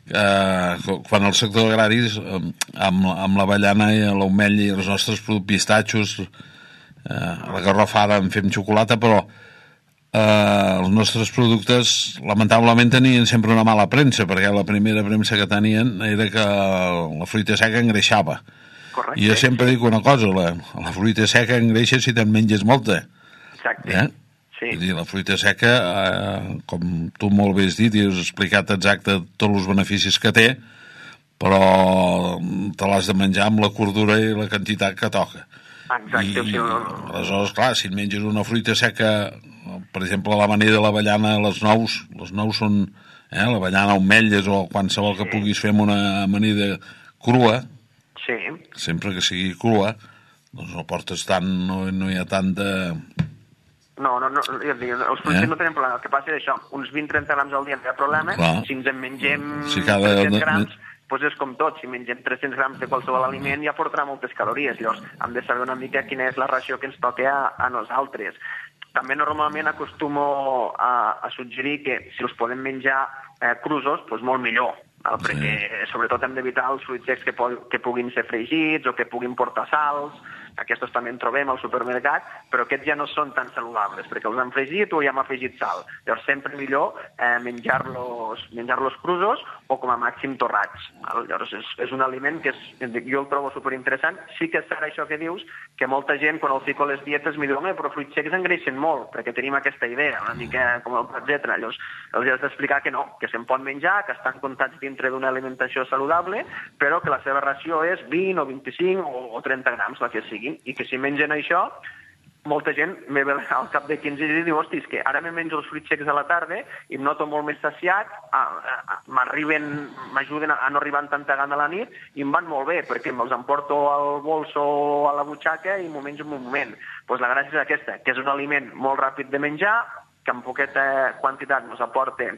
Speaker 4: que quan el sector agrari, amb, amb l'avellana i l'ametlla i els nostres pistatxos, Eh, a la garrofada en fem xocolata, però eh, els nostres productes lamentablement tenien sempre una mala premsa, perquè la primera premsa que tenien era que la fruita seca engreixava.
Speaker 5: Correcte.
Speaker 4: I jo sempre dic una cosa, la, la fruita seca engreixa si te'n menges molta.
Speaker 5: Exacte.
Speaker 4: Eh?
Speaker 5: Sí.
Speaker 4: Vull dir, la fruita seca, eh, com tu molt bé has dit i has explicat exacte tots els beneficis que té, però te l'has de menjar amb la cordura i la quantitat que toca.
Speaker 5: Exacte.
Speaker 4: I,
Speaker 5: O sigui, no...
Speaker 4: aleshores, clar, si et menges una fruita seca, per exemple, l'amanida de l'avellana, les nous, les nous són eh, l'avellana o ametlles o qualsevol que puguis fer amb una amanida crua,
Speaker 5: Sí.
Speaker 4: sempre que sigui crua, doncs no portes tant, no, no hi ha tant de...
Speaker 5: No, no, no, jo dic, els fruits
Speaker 4: Eh?
Speaker 5: no tenen problema. El que passa és això, uns vint a trenta grams al dia no hi ha problema.
Speaker 4: Clar.
Speaker 5: Si ens en mengem
Speaker 4: Si cada-
Speaker 5: tres-cents grams, doncs és com tot. Si mengem tres-cents grams de qualsevol aliment ja portarà moltes calories. Llavors hem de saber una mica quina és la ració que ens toca a, a nosaltres. També normalment acostumo a, a suggerir que si els podem menjar eh, crusos, doncs molt millor. Val?
Speaker 4: Sí.
Speaker 5: Perquè sobretot hem d'evitar els fruits secs que, po que puguin ser fregits o que puguin portar sals. Aquests també en trobem al supermercat, però aquests ja no són tan saludables, perquè els han fregit o ja hem afegit sal. Llavors sempre millor eh, menjar-los menjar-los crusos o com a màxim torrats. Val? Llavors és, és un aliment que és, jo el trobo superinteressant. Sí que és cert això que dius, que molta gent quan el fico a les dietes m'hi diu, però fruits secs engreixen molt, perquè tenim aquesta idea, una mica com el etcètera. Llavors els has d'explicar que no, que se'n pot menjar, que estan comptats dintre d'una alimentació saludable, però que la seva ració és vint o vint-i-cinc o, o trenta grams, la que sigui. I que si mengen això, molta gent me ve al cap de quinze dies i diu, hosti, és que ara me menjo els fruits secs a la tarda i em noto molt més saciat, m'arriben, m'ajuden a no arribar amb tanta gana a la nit i em van molt bé, perquè me'ls emporto al bolso o a la butxaca i m'ho menjo en un moment. Doncs la gràcia és aquesta, que és un aliment molt ràpid de menjar, que amb poqueta quantitat ens aporta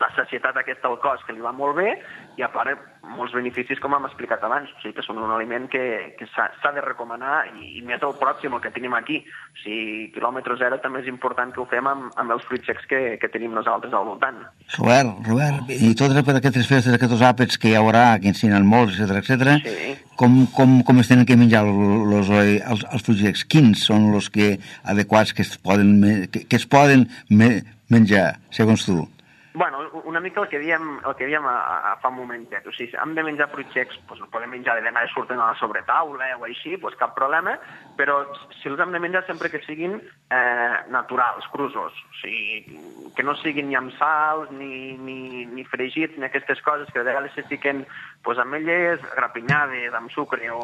Speaker 5: la sacietat aquesta al cos, que li va molt bé, i a part molts beneficis, com hem explicat abans. O sigui que són un aliment que, que s'ha de recomanar, i, i més el pròxim, el que tenim aquí. O sigui, quilòmetre zero també és important que ho fem amb, amb els fruits secs que, que tenim nosaltres al voltant.
Speaker 3: Robert, Robert, i tot per aquestes festes, aquests àpats que hi haurà, que ensinen molts, etcètera, etcètera,
Speaker 5: Sí.
Speaker 3: com, com, com es tenen que menjar los, els, els fruits secs? Quins són els que adequats que es poden, que, que es poden me, menjar, segons tu?
Speaker 5: Bueno, una mica el que diem, el que diem a, a fa un momentet. O sigui, hem de menjar fruits secs, doncs els podem menjar de vegades surten a la sobretaula o així, doncs cap problema, però si els hem de menjar sempre que siguin eh, naturals, crusos. O sigui, que no siguin ni amb sals, ni, ni, ni fregits, ni aquestes coses que de vegades se fiquen doncs, ametlles grapinyades amb sucre o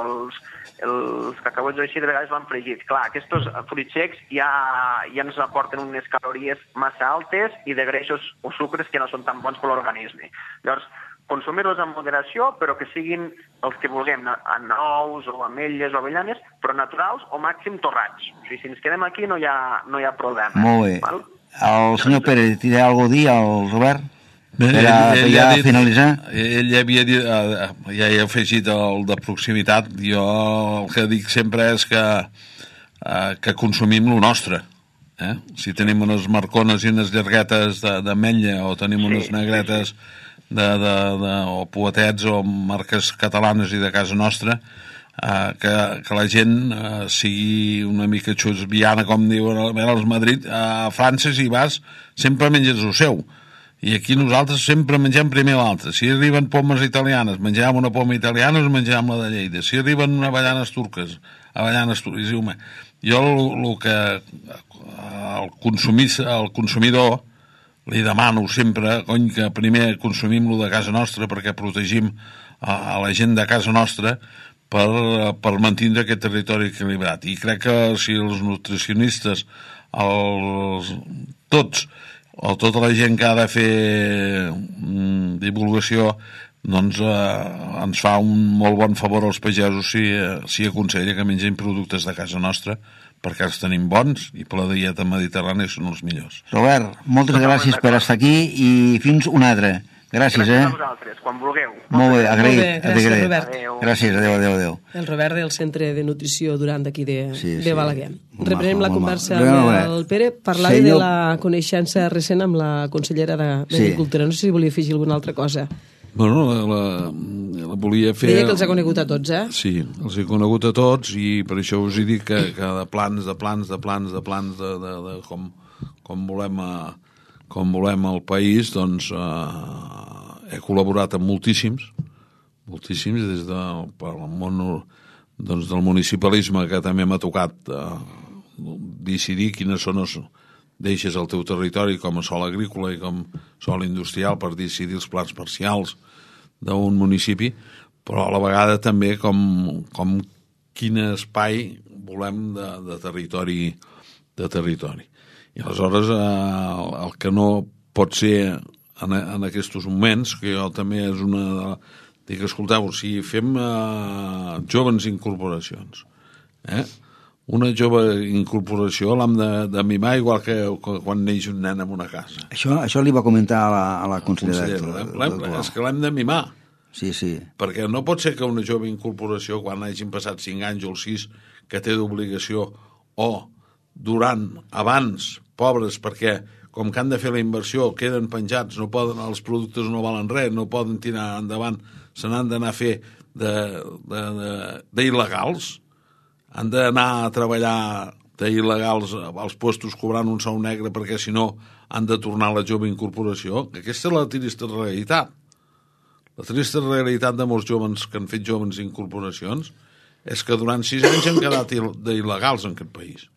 Speaker 5: els, els cacauets així de vegades van fregits. Clar, aquests fruits secs ja, ja ens aporten unes calories massa altes i de greixos o sucres que no són tan bons per l'organisme. Llavors, consumir-los amb moderació, però que siguin els que vulguem, nous o ametlles o avellanes, però naturals o màxim torrats. O sigui, si ens quedem aquí no hi ha, no hi ha problema.
Speaker 3: Molt bé.
Speaker 5: Val?
Speaker 3: El senyor Pérez, té alguna cosa a dir al Robert?
Speaker 4: Bé,
Speaker 3: Per a,
Speaker 4: ell, ell
Speaker 3: ja
Speaker 4: ha dit,
Speaker 3: finalitzar?
Speaker 4: Ell ja havia dit, eh, ja he afegit el de proximitat. Jo el que dic sempre és que, eh, que consumim lo nostre. Eh? Si tenim unes marcones i unes llarguetes d'ametlla o tenim
Speaker 5: Sí,
Speaker 4: unes negretes de, de, de, o poetets o marques catalanes i de casa nostra, eh, que, que la gent eh, sigui una mica xusviana, com diuen als Madrid. A França, si vas, sempre menges el seu. I aquí nosaltres sempre mengem primer l'altre. Si arriben pomes italianes, menjam una poma italiana o menjam la de Lleida. Si arriben avellanes turques, avellanes turques. Jo el, el que el, consumís, el consumidor li demano sempre, cony, que primer consumim-lo de casa nostra perquè protegim a, a la gent de casa nostra per, per mantindre aquest territori equilibrat. I crec que si els nutricionistes, els, tots, o tota la gent que ha de fer mm, divulgació, doncs eh, ens fa un molt bon favor als pagesos si, eh, si aconsella que mengem productes de casa nostra, perquè els tenim bons i per la dieta mediterrània són els millors.
Speaker 3: Robert, moltes gràcies per estar aquí i fins una altra. Gràcies,
Speaker 5: Gràcies
Speaker 3: eh?
Speaker 5: a vosaltres, quan vulgueu.
Speaker 3: Molt bé, agraït.
Speaker 2: Molt bé, gràcies,
Speaker 3: agraït.
Speaker 2: Robert.
Speaker 5: Adéu.
Speaker 3: Gràcies, adéu, adéu, adéu.
Speaker 2: El Robert del Centre de Nutrició Durant d'aquí de,
Speaker 3: Sí,
Speaker 2: de
Speaker 3: sí.
Speaker 2: Balaguer.
Speaker 3: Molt
Speaker 2: Reprenem
Speaker 3: maco,
Speaker 2: la
Speaker 3: molt
Speaker 2: conversa
Speaker 3: maco.
Speaker 2: amb
Speaker 3: Bé,
Speaker 2: el Pere. Parlava
Speaker 3: senyor-
Speaker 2: de la coneixença recent amb la consellera d'Agricultura. No sé si volia afegir alguna altra cosa.
Speaker 4: Bueno, la, la, la volia fer...
Speaker 2: Deia que els ha conegut a tots, eh?
Speaker 4: Sí, els he conegut a tots i per això us he dit que, que de plans, de plans, de plans, de plans, de, de, de com, com, volem a, com volem el país, doncs eh, he col·laborat amb moltíssims, moltíssims, des del, pel món doncs, del municipalisme, que també m'ha tocat eh, decidir quines zones deixes al teu territori com a sòl agrícola i com a sòl industrial per decidir els plans parcials d'un municipi, però a la vegada també com, com quin espai volem de, de territori de territori. I aleshores eh, el que no pot ser en, en aquests moments, que jo també és una... Dic, escolteu, si fem eh, joves incorporacions, eh? Una jove incorporació l'hem de, de mimar igual que quan neix un nen en una casa.
Speaker 3: Això, això li va comentar a la, a la consellera.
Speaker 4: consellera és que l'hem de mimar.
Speaker 3: Sí, sí.
Speaker 4: Perquè no pot ser que una jove incorporació, quan hagin passat cinc anys o sis, que té d'obligació, o durant, abans, pobres, perquè com que han de fer la inversió, queden penjats, no poden, els productes no valen res, no poden tirar endavant, se n'han d'anar a fer d'il·legals, han d'anar a treballar d'il·legals als puestos cobrant un sou negre perquè si no han de tornar a la jove incorporació. Aquesta és la trista realitat. La trista realitat de molts joves que han fet joves incorporacions és que durant sis anys han quedat d'il·legals en aquest país.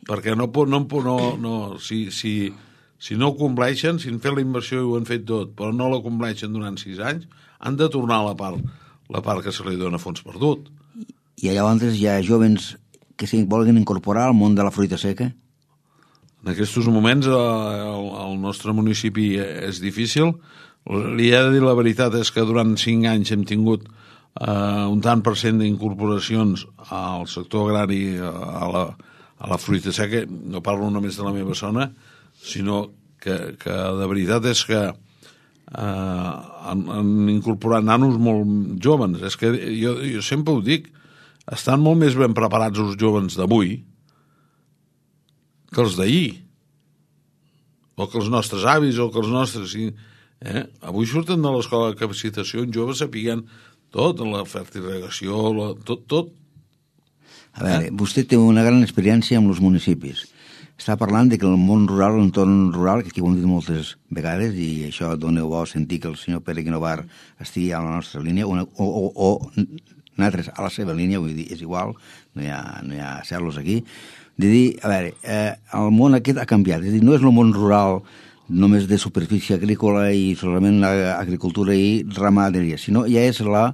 Speaker 4: Perquè no, no, no, no si, si, si no compleixen, si han fet la inversió i ho han fet tot, però no la compleixen durant sis anys, han de tornar a la part, la part que se li dona fons perdut.
Speaker 3: I llavors hi ha joves que s'hi volen incorporar al món de la fruita seca?
Speaker 4: En aquests moments el, el nostre municipi és difícil. Li he de dir la veritat, és que durant cinc anys hem tingut eh, un tant per cent d'incorporacions al sector agrari, a la, a la fruita seca. No parlo només de la meva zona, sinó que, que de veritat és que eh, han, han incorporat nanos molt joves. És que jo, jo sempre ho dic, estan molt més ben preparats els joves d'avui que els d'ahir, o que els nostres avis, o que els nostres... Eh? Avui surten de l'escola de capacitació uns joves sapiguen tot, la fertirrigació, la, tot, tot.
Speaker 3: A veure, eh? Vostè té una gran experiència amb els municipis. Està parlant de que el món rural, l'entorn rural, que aquí ho hem dit moltes vegades, i això dona bo sentir que el senyor Pere Guinovar estigui a la nostra línia, una, o, o, o nosaltres a la seva línia, vull dir, és igual, no hi ha, no hi ha cerlos aquí, de dir, a veure, eh, el món aquest ha canviat, és a dir, no és el món rural només de superfície agrícola i solament agricultura i ramaderia, sinó ja és la,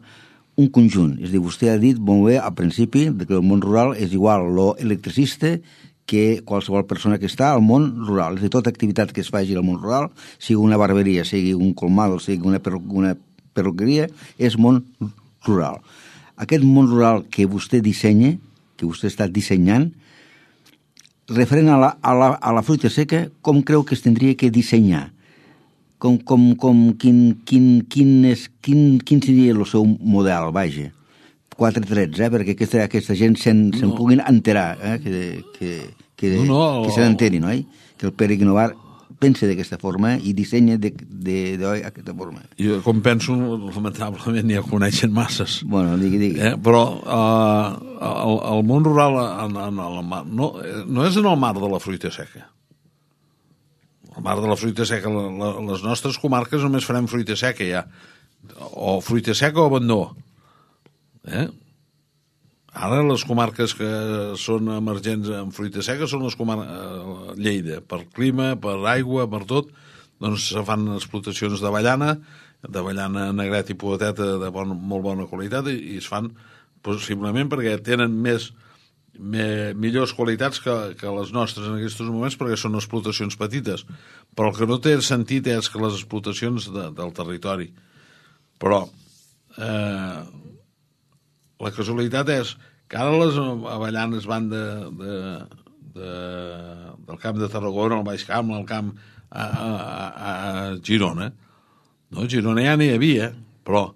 Speaker 3: un conjunt. És a dir, vostè ha dit molt bé al principi que el món rural és igual l'electricista que qualsevol persona que està al món rural. És a dir, tota activitat que es faci al món rural, sigui una barberia, sigui un colmado, sigui una, perru una perruqueria, és món rural. Aquest món rural que vostè dissenya, que vostè està dissenyant, referent a la, a la, a la fruita seca, com creu que es tindria que dissenyar? Com, com, com, quin, quin, quin, és, quin, quin seria el seu model, vaja? Quatre trets, eh? Perquè aquesta, aquesta gent se'n no. se puguin enterar, eh? que, que, que, no, no, que se n'enterin, oi? Que el Pere Guinovar pensa d'aquesta forma i dissenya d'aquesta forma.
Speaker 4: Jo, com penso, lamentablement ja coneixen masses.
Speaker 3: Bueno, digui, digui.
Speaker 4: Eh? Però uh, el, el món rural en, en el mar, no, no és en el mar de la fruita seca. El mar de la fruita seca, la, la, les nostres comarques només farem fruita seca ja. O fruita seca o abandó. Eh? Ara les comarques que són emergents en fruita seca són les comarques Lleida, per clima, per aigua, per tot, doncs se fan explotacions d'avellana, d'avellana negret i pueteta de bon, molt bona qualitat i, i es fan possiblement perquè tenen més, me, millors qualitats que, que les nostres en aquests moments perquè són explotacions petites. Però el que no té sentit és que les explotacions de, del territori. Però eh, la casualitat és que ara les avellanes van de, de, de, del camp de Tarragona al Baix Camp, al camp a, a, a Girona. No, Girona ja n'hi havia, però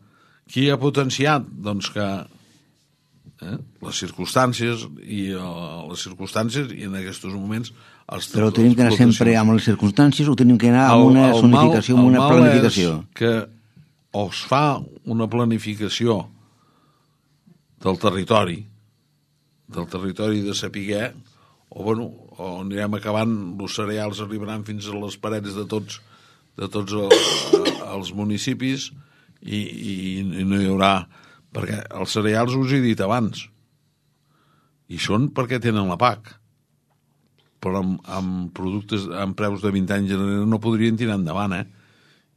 Speaker 4: qui ha potenciat? Doncs que eh, les circumstàncies i uh, les circumstàncies i en aquests moments... Els,
Speaker 3: però tenim que anar sempre amb les circumstàncies o tenim que anar amb una el, el zonificació, amb una planificació?
Speaker 4: El mal és que o es fa una planificació del territori, del territori de sapiguer, o, bueno, o anirem acabant, els cereals arribaran fins a les parets de tots, de tots els, els municipis i, i, i no hi haurà... Perquè els cereals us he dit abans, i són perquè tenen la P A C. però amb, amb productes, amb preus de vint anys enrere no podrien tirar endavant, eh?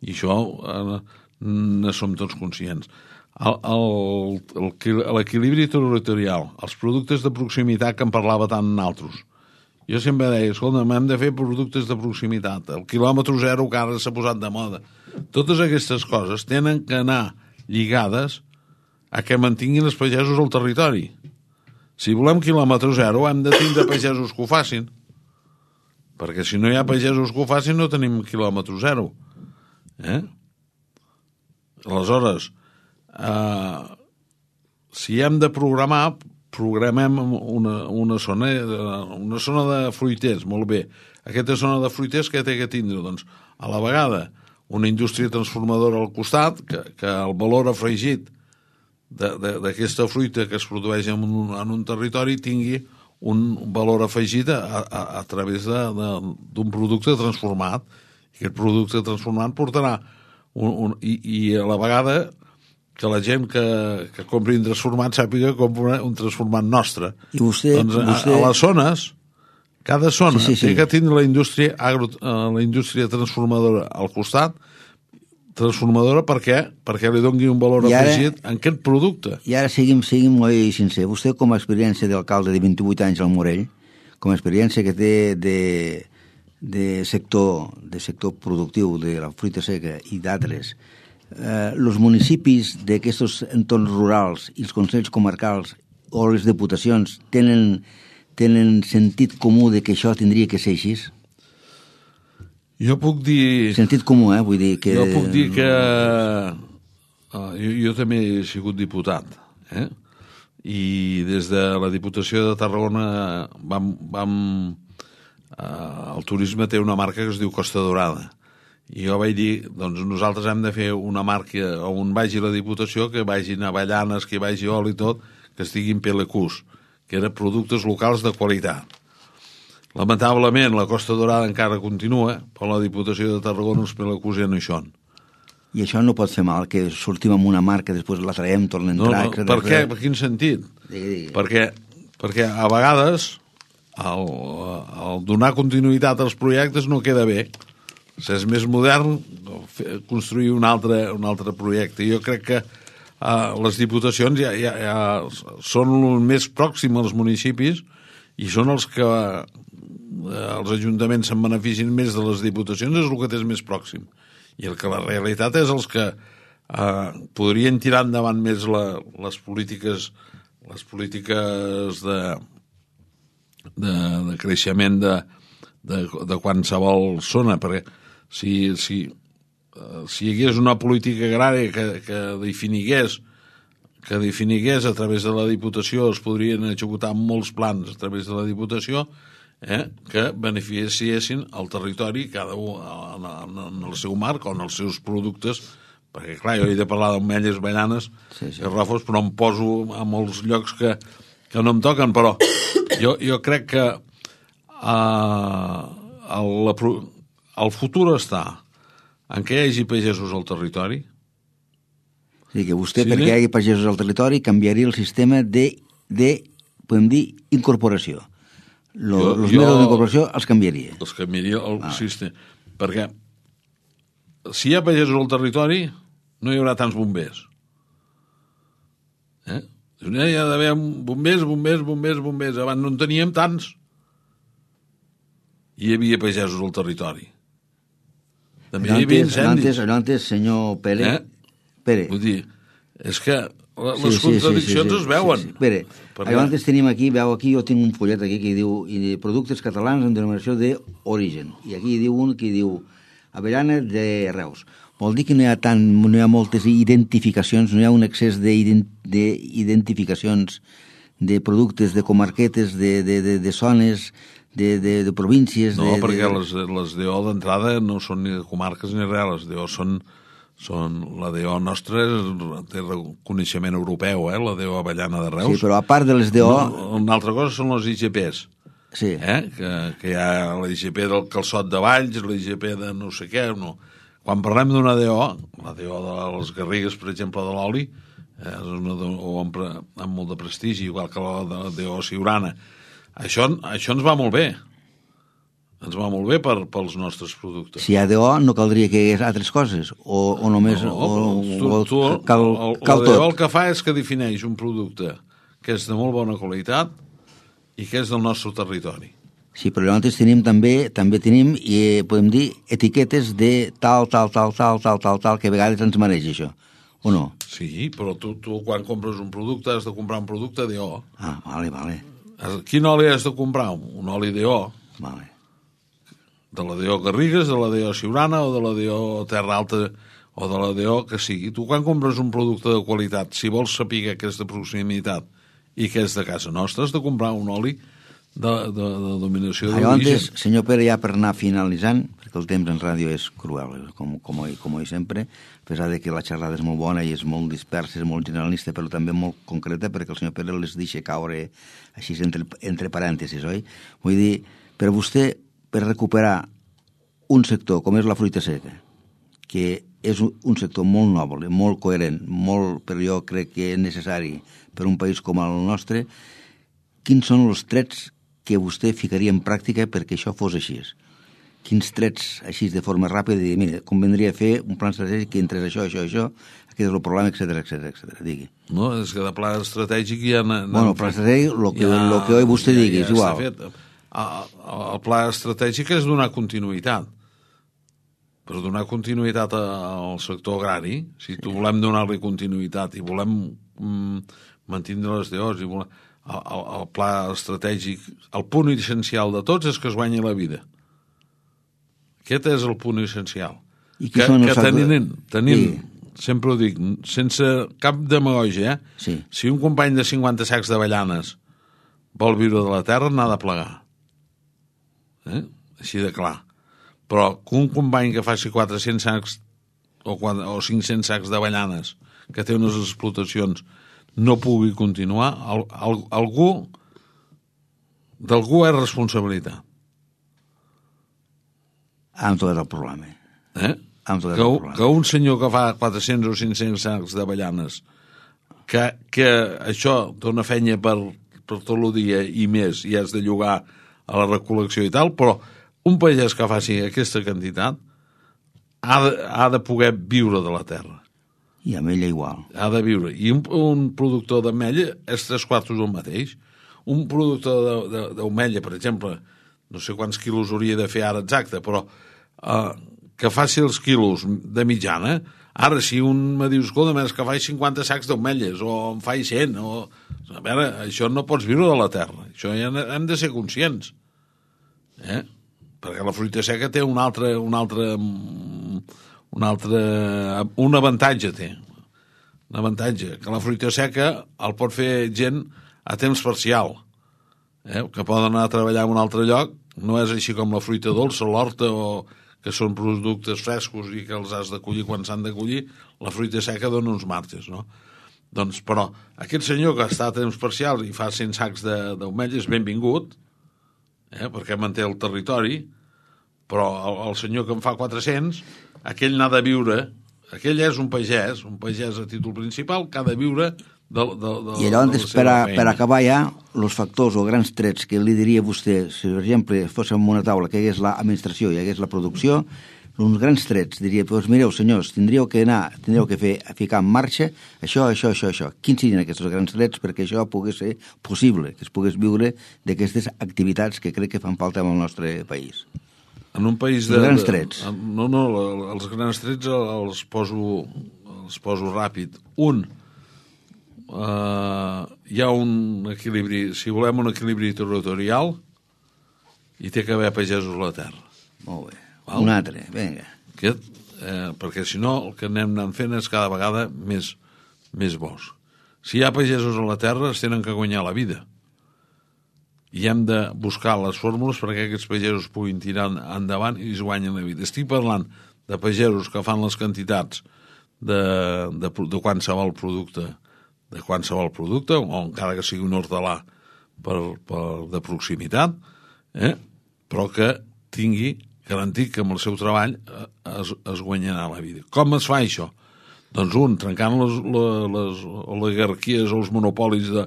Speaker 4: I això eh, ne som tots conscients. L'equilibri territorial, els productes de proximitat que en parlava tant altres. Jo sempre deia, escolta, hem de fer productes de proximitat, el quilòmetre zero que ara s'ha posat de moda. Totes aquestes coses tenen que anar lligades a que mantinguin els pagesos al territori. Si volem quilòmetre zero, hem de tindre pagesos que ho facin. Perquè si no hi ha pagesos que ho facin, no tenim quilòmetre zero. Eh? Aleshores, eh, si hem de programar, programem una, una, zona, una zona de fruiters, molt bé. Aquesta zona de fruiters que té que tindre? Doncs, a la vegada, una indústria transformadora al costat, que, que el valor afegit d'aquesta fruita que es produeix en un, en un territori tingui un valor afegit a, a, a través d'un producte transformat. I aquest producte transformat portarà un, un, i, i a la vegada que la gent que, que compri un transformat sàpiga que compra un transformat nostre.
Speaker 3: I vostè,
Speaker 4: doncs a,
Speaker 3: vostè...
Speaker 4: a les zones, cada zona
Speaker 3: sí, sí, sí.
Speaker 4: té que tindre la indústria, agro, la indústria transformadora al costat, transformadora per què? Perquè li doni un valor ara, afegit en aquest producte.
Speaker 3: I ara siguin, siguin molt sincer. Vostè, com a experiència d'alcalde de vint-i-vuit anys al Morell, com a experiència que té de, de, sector, de sector productiu de la fruita seca i d'altres, eh, els municipis d'aquests entorns rurals i els consells comarcals o les diputacions tenen, tenen sentit comú de que això tindria que ser així?
Speaker 4: Jo puc dir...
Speaker 3: Sentit comú, eh? Vull dir que...
Speaker 4: Jo puc dir que... Uh, jo, jo també he sigut diputat, eh? I des de la Diputació de Tarragona vam... vam uh, el turisme té una marca que es diu Costa Dorada. I jo vaig dir, doncs nosaltres hem de fer una marca on vagi la Diputació, que vagin avellanes, que vagi oli i tot, que estiguin P L Qs, que eren productes locals de qualitat. Lamentablement, la Costa Dorada encara continua, però la Diputació de Tarragona els P L Qs ja no hi són.
Speaker 3: I això no pot fer mal, que sortim amb una marca, després la traiem, tornem a entrar...
Speaker 4: No, no, per què? Per quin sentit?
Speaker 3: Digui, digui.
Speaker 4: Perquè, perquè a vegades el, el donar continuïtat als projectes no queda bé. Si és més modern, construir un altre, un altre projecte. Jo crec que uh, les diputacions ja, ja, ja són el més pròxim als municipis i són els que uh, els ajuntaments se'n beneficien més de les diputacions, és el que és més pròxim. I el que la realitat és els que uh, podrien tirar endavant més la, les polítiques les polítiques de, de, de creixement de, de, de qualsevol zona, perquè si, si, uh, si hi hagués una política agrària que, que definigués que definigués a través de la Diputació, es podrien executar molts plans a través de la Diputació, eh, que beneficiessin el territori, cada un en, en, en el seu marc o en els seus productes, perquè clar, jo he de parlar d'ametlles, avellanes sí, sí. i rofos, però em poso a molts llocs que, que no em toquen, però jo, jo crec que uh, el, la, el futur està en què hi hagi pagesos al territori.
Speaker 3: Sí, que vostè,
Speaker 4: sí,
Speaker 3: perquè hi hagi pagesos al territori, canviaria el sistema de, de podem dir, incorporació. Lo, jo, els mètodes d'incorporació els canviaria.
Speaker 4: Els canviaria el ah. sistema. Perquè si hi ha pagesos al territori, no hi haurà tants bombers. Eh? Hi ha d'haver bombers, bombers, bombers, bombers. Abans no en teníem tants. Hi havia pagesos al territori. També hi havia incendis.
Speaker 3: Antes, antes, senyor Pere...
Speaker 4: Eh?
Speaker 3: Pere.
Speaker 4: Vull dir, és que les
Speaker 3: sí, sí,
Speaker 4: contradiccions
Speaker 3: sí, sí, sí,
Speaker 4: es veuen.
Speaker 3: Sí, sí. Pere, perquè... antes tenim aquí, veu aquí, jo tinc un follet aquí que diu i productes catalans en denominació d'origen. I aquí diu un que diu avellana de Reus. Vol dir que no hi ha tant, no hi ha moltes identificacions, no hi ha un excés d'identificacions de productes, de comarquetes, de, de, de, de zones, de, de, de províncies...
Speaker 4: No,
Speaker 3: de,
Speaker 4: perquè
Speaker 3: de...
Speaker 4: les, les D O d'entrada no són ni de comarques ni res, les D O són... Són, la D O nostra té reconeixement europeu, eh? La D O Avellana de Reus.
Speaker 3: Sí, però a part de les D O...
Speaker 4: No, una altra cosa són les I G Ps.
Speaker 3: Sí.
Speaker 4: Eh? Que, que hi ha la I G P del calçot de Valls, la I G P de no sé què. No. Quan parlem d'una D O, la D O de les Garrigues, per exemple, de l'oli, eh, és una D O amb, amb molt de prestigi, igual que la de la D O Siurana. Això, això ens va molt bé. ens va molt bé per, pels nostres productes.
Speaker 3: Si hi ha D O, no caldria que hi hagués altres coses, o, o només...
Speaker 4: No,
Speaker 3: o,
Speaker 4: tu,
Speaker 3: o,
Speaker 4: tu,
Speaker 3: cal,
Speaker 4: el,
Speaker 3: cal
Speaker 4: el D O
Speaker 3: tot.
Speaker 4: el que fa és que defineix un producte que és de molt bona qualitat i que és del nostre territori.
Speaker 3: Sí, però nosaltres tenim també, també tenim, i eh, podem dir, etiquetes de tal, tal, tal, tal, tal, tal, tal, que a vegades ens mereix això, o no?
Speaker 4: Sí, però tu, tu quan compres un producte has de comprar un producte D O.
Speaker 3: Ah, vale, vale.
Speaker 4: Quin oli has de comprar? Un oli D O.
Speaker 3: Vale.
Speaker 4: De la D O Garrigues, de la D O Siurana o de la D O Terra Alta o de la D O que sigui. Tu quan compres un producte de qualitat, si vols saber que és de proximitat i que és de casa nostra, has de comprar un oli de, de, de dominació
Speaker 3: Allò
Speaker 4: d'origen.
Speaker 3: antes, senyor Pere, ja per anar finalitzant, perquè el temps en ràdio és cruel, com, com, oi, com oi sempre, a pesar de que la xerrada és molt bona i és molt dispersa, és molt generalista, però també molt concreta, perquè el senyor Pere les deixa caure així entre, entre parèntesis, oi? Vull dir, per vostè, per recuperar un sector com és la fruita seca, que és un sector molt noble, molt coherent, molt, però jo crec que és necessari per un país com el nostre, quins són els trets que vostè ficaria en pràctica perquè això fos així? Quins trets, així de forma ràpida, de dir, mira, convendria fer un plan estratègic que entrés això, això, això, aquest és el problema, etcètera, etcètera, etcètera, digui.
Speaker 4: No, és que de pla estratègic ja...
Speaker 3: Bueno, pla estratègic, el que, ja, lo que hoy vostè ja, digui, ja és igual.
Speaker 4: Fet. El pla estratègic és donar continuïtat. Per donar continuïtat al sector agrari, si tu volem donar-li continuïtat i volem mm, mantenir les D Os i volem, el, el, el pla estratègic, el punt essencial de tots és que es guanyi la vida. Aquest és el punt essencial.
Speaker 3: I
Speaker 4: que que tenint, tenint
Speaker 3: sí.
Speaker 4: sempre ho dic, sense cap demagogia, eh?
Speaker 3: Sí.
Speaker 4: Si un company de cinquanta sacs d'avellanes vol viure de la terra, n'ha de plegar. Eh? Així de clar. Però que un company que faci quatre-cents sacs o, quatre, o cinc-cents sacs d'avellanes, que té unes explotacions, no pugui continuar, al, al, algú d'algú és responsabilitat.
Speaker 3: Amb tot el problema.
Speaker 4: Eh?
Speaker 3: Amb tot el
Speaker 4: que,
Speaker 3: problema.
Speaker 4: Que un senyor que fa quatre-cents o cinc-cents sacs d'avellanes, que, que això dona feina per, per tot el dia i més, i has de llogar a la recol·lecció i tal, però un pagès que faci aquesta quantitat ha de, ha de poder viure de la terra.
Speaker 3: I amb ella igual.
Speaker 4: Ha de viure. I un, un productor d'ametlla és tres quartos el mateix. Un productor d'ametlla, per exemple, no sé quants quilos hauria de fer ara exacte, però eh, que faci els quilos de mitjana, ara si un me diu, escolta, més que faig cinquanta sacs d'ametlles, o en faig cent, o... A veure, això no pots viure de la terra. Això ja hem de ser conscients. Eh? Perquè la fruita seca té un altre, un altre, un altre, un avantatge té, un avantatge, que la fruita seca el pot fer gent a temps parcial, eh? Que poden anar a treballar en un altre lloc, no és així com la fruita dolça, l'horta, o que són productes frescos i que els has de collir quan s'han de collir, la fruita seca dona uns marges, no? Doncs, però, aquest senyor que està a temps parcial i fa cent sacs d'ametlles, benvingut, eh, perquè manté el territori, però el, el senyor que en fa quatre-cents, aquell n'ha de viure, aquell és un pagès, un pagès a títol principal, que ha de viure de, de, de,
Speaker 3: I allò,
Speaker 4: de la
Speaker 3: per, a, per acabar ja, els factors o grans trets que li diria vostè, si per exemple fóssim una taula que hi hagués l'administració i hi hagués la producció, uns grans trets, diria, doncs mireu senyors, tindríeu que anar, tindríeu que fer, ficar en marxa això, això, això, això. Quins serien aquests grans trets perquè això pogués ser possible, que es pogués viure d'aquestes activitats que crec que fan falta en el nostre país?
Speaker 4: En un país de...
Speaker 3: Els grans trets.
Speaker 4: De, no, no, els grans trets els poso, els poso ràpid. Un, uh, hi ha un equilibri, si volem un equilibri territorial, hi té que haver pagesos a la terra.
Speaker 3: Molt bé. Val? Un altre, vinga.
Speaker 4: Aquest, eh, perquè si no el que anem anant fent és cada vegada més, més bosc. Si hi ha pagesos a la terra es tenen que guanyar la vida. I hem de buscar les fórmules perquè aquests pagesos puguin tirar endavant i es guanyen la vida. Estic parlant de pagesos que fan les quantitats de, de, de qualsevol producte, de qualsevol producte, o encara que sigui un hortelà per, per, de proximitat, eh? Però que tingui garantir que amb el seu treball es, es guanyarà la vida. Com es fa això? Doncs un, trencant les, les, les oligarquies o els monopolis de,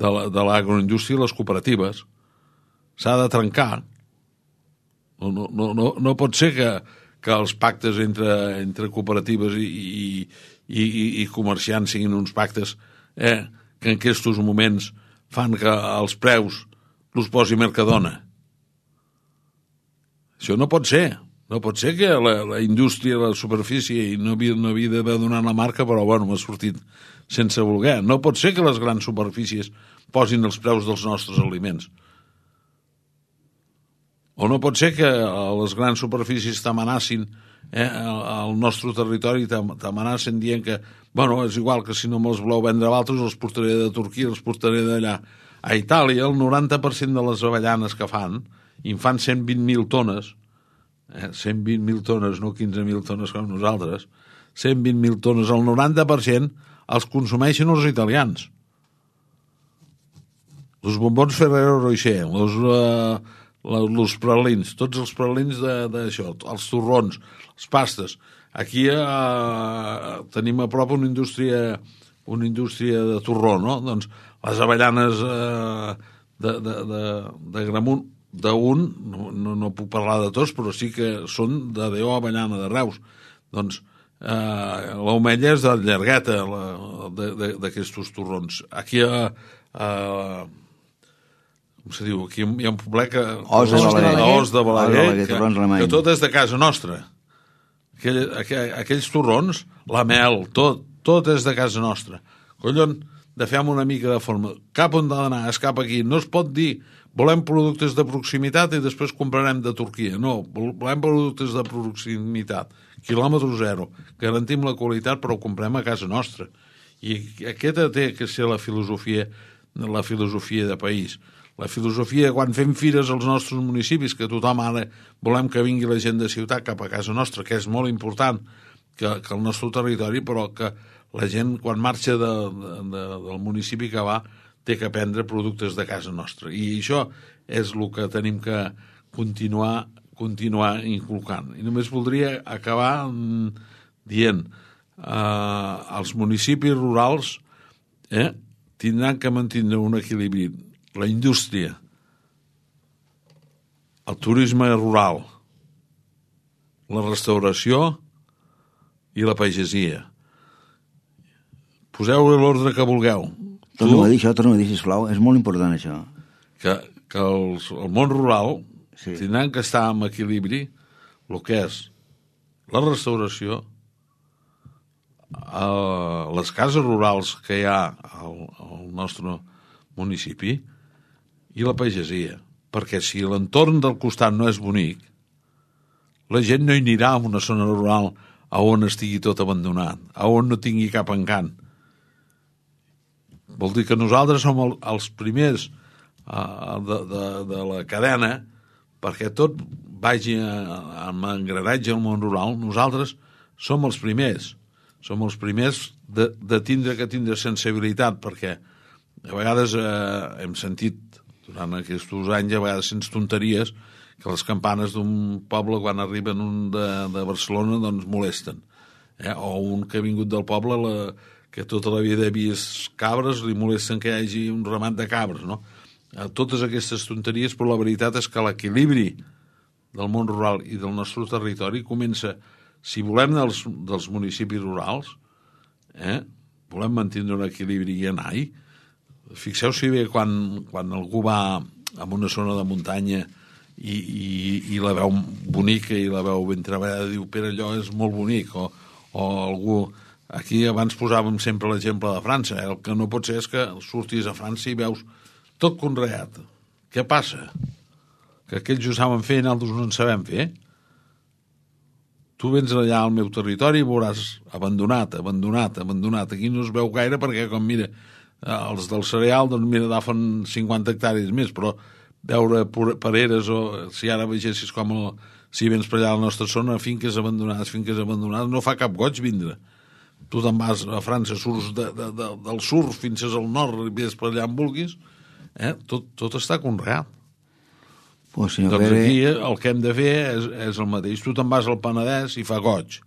Speaker 4: de l'agroindústria i les cooperatives. S'ha de trencar. No, no, no, no, no pot ser que, que els pactes entre, entre cooperatives i, i, i, i comerciants siguin uns pactes eh, que en aquests moments fan que els preus els posi Mercadona. Això no pot ser. No pot ser que la, la indústria, la superfície, i no havia, no havia d'haver donat la marca, però bueno, m'ha sortit sense voler. No pot ser que les grans superfícies posin els preus dels nostres aliments. O no pot ser que les grans superfícies t'amenacin eh, al nostre territori, t'amenacen dient que, bueno, és igual que si no me'ls voleu vendre a altres, els portaré de Turquia, els portaré d'allà. A Itàlia, el noranta per cent de les avellanes que fan, i en fan cent vint mil tones, eh, cent vint mil tones, no quinze mil tones com nosaltres, cent vint mil tones, el noranta per cent els consumeixen els italians. Els bombons Ferrero Rocher, els, uh, els pralins, tots els pralins d'això, els torrons, les pastes. Aquí uh, tenim a prop una indústria, una indústria de torró, no? Doncs les avellanes uh, de, de, de, de Gramunt, d'un, no, no, no puc parlar de tots, però sí que són de Déu Avellana, de Reus. Doncs eh, l'omella és de llargueta d'aquests torrons. Aquí a, a com se diu, aquí hi ha un poblet que
Speaker 3: Os de Balaguer,
Speaker 4: Os de Balaguer,
Speaker 3: Os de Balaguer,
Speaker 4: que, que tot és de casa nostra. Aquell, aquell, aquells torrons, la mel, tot, tot és de casa nostra. Collons, de fer una mica de forma. Cap on ha d'anar, és cap aquí. No es pot dir volem productes de proximitat i després comprarem de Turquia. No, volem productes de proximitat. Quilòmetre zero. Garantim la qualitat, però ho comprem a casa nostra. I aquesta té que ser la filosofia, la filosofia de país. La filosofia, quan fem fires als nostres municipis, que tothom ara volem que vingui la gent de ciutat cap a casa nostra, que és molt important que, que el nostre territori, però que la gent, quan marxa de, de, del municipi que va, té que prendre productes de casa nostra. I això és el que tenim que continuar, continuar inculcant. I només voldria acabar dient eh, els municipis rurals eh, tindran que mantenir un equilibri. La indústria, el turisme rural, la restauració i la pagesia. Poseu l'ordre que vulgueu.
Speaker 3: Torna a dir això, torna a dir, sisplau. És molt important, això.
Speaker 4: Que, que els, el món rural
Speaker 3: sí.
Speaker 4: tindran que estar en equilibri el que és la restauració, eh, les cases rurals que hi ha al, al nostre municipi i la pagesia. Perquè si l'entorn del costat no és bonic, la gent no hi anirà a una zona rural a on estigui tot abandonat, a on no tingui cap encant. Vol dir que nosaltres som el, els primers uh, de, de, de la cadena perquè tot vagi amb engranatge al món rural. Nosaltres som els primers. Som els primers de, de tindre que tindre sensibilitat, perquè a vegades eh, hem sentit durant aquests anys, a vegades sents tonteries, que les campanes d'un poble quan arriben un de, de Barcelona doncs molesten. Eh? O un que ha vingut del poble la, que tota la vida ha vist cabres, li molesten que hi hagi un ramat de cabres, no? Eh, totes aquestes tonteries, però la veritat és que l'equilibri del món rural i del nostre territori comença, si volem dels, dels municipis rurals, eh? volem mantenir un equilibri i anar-hi. Fixeu-s'hi bé quan, quan algú va a una zona de muntanya i, i, i la veu bonica i la veu ben treballada, diu, però allò és molt bonic, o, o algú... Aquí abans posàvem sempre l'exemple de França. El que no pot ser és que surtis a França i veus tot conreat. Què passa? Que aquells ho saben fer i nosaltres no en sabem fer? Tu vens allà al meu territori i veuràs abandonat, abandonat, abandonat. Aquí no es veu gaire perquè, com mira, els del cereal, doncs mira, agafen cinquanta hectàrees més, però veure pareres o si ara vegessis com el, si vens per allà a la nostra zona, finques abandonades, finques abandonades, no fa cap goig vindre. Tu te'n vas a França, surts de, de, de, del sur fins al nord i ves per allà on vulguis, eh? tot, tot està conreat.
Speaker 3: Pues,
Speaker 4: doncs
Speaker 3: Pere...
Speaker 4: aquí el que hem de fer és, és el mateix. Tu te'n vas al Penedès i fa goig.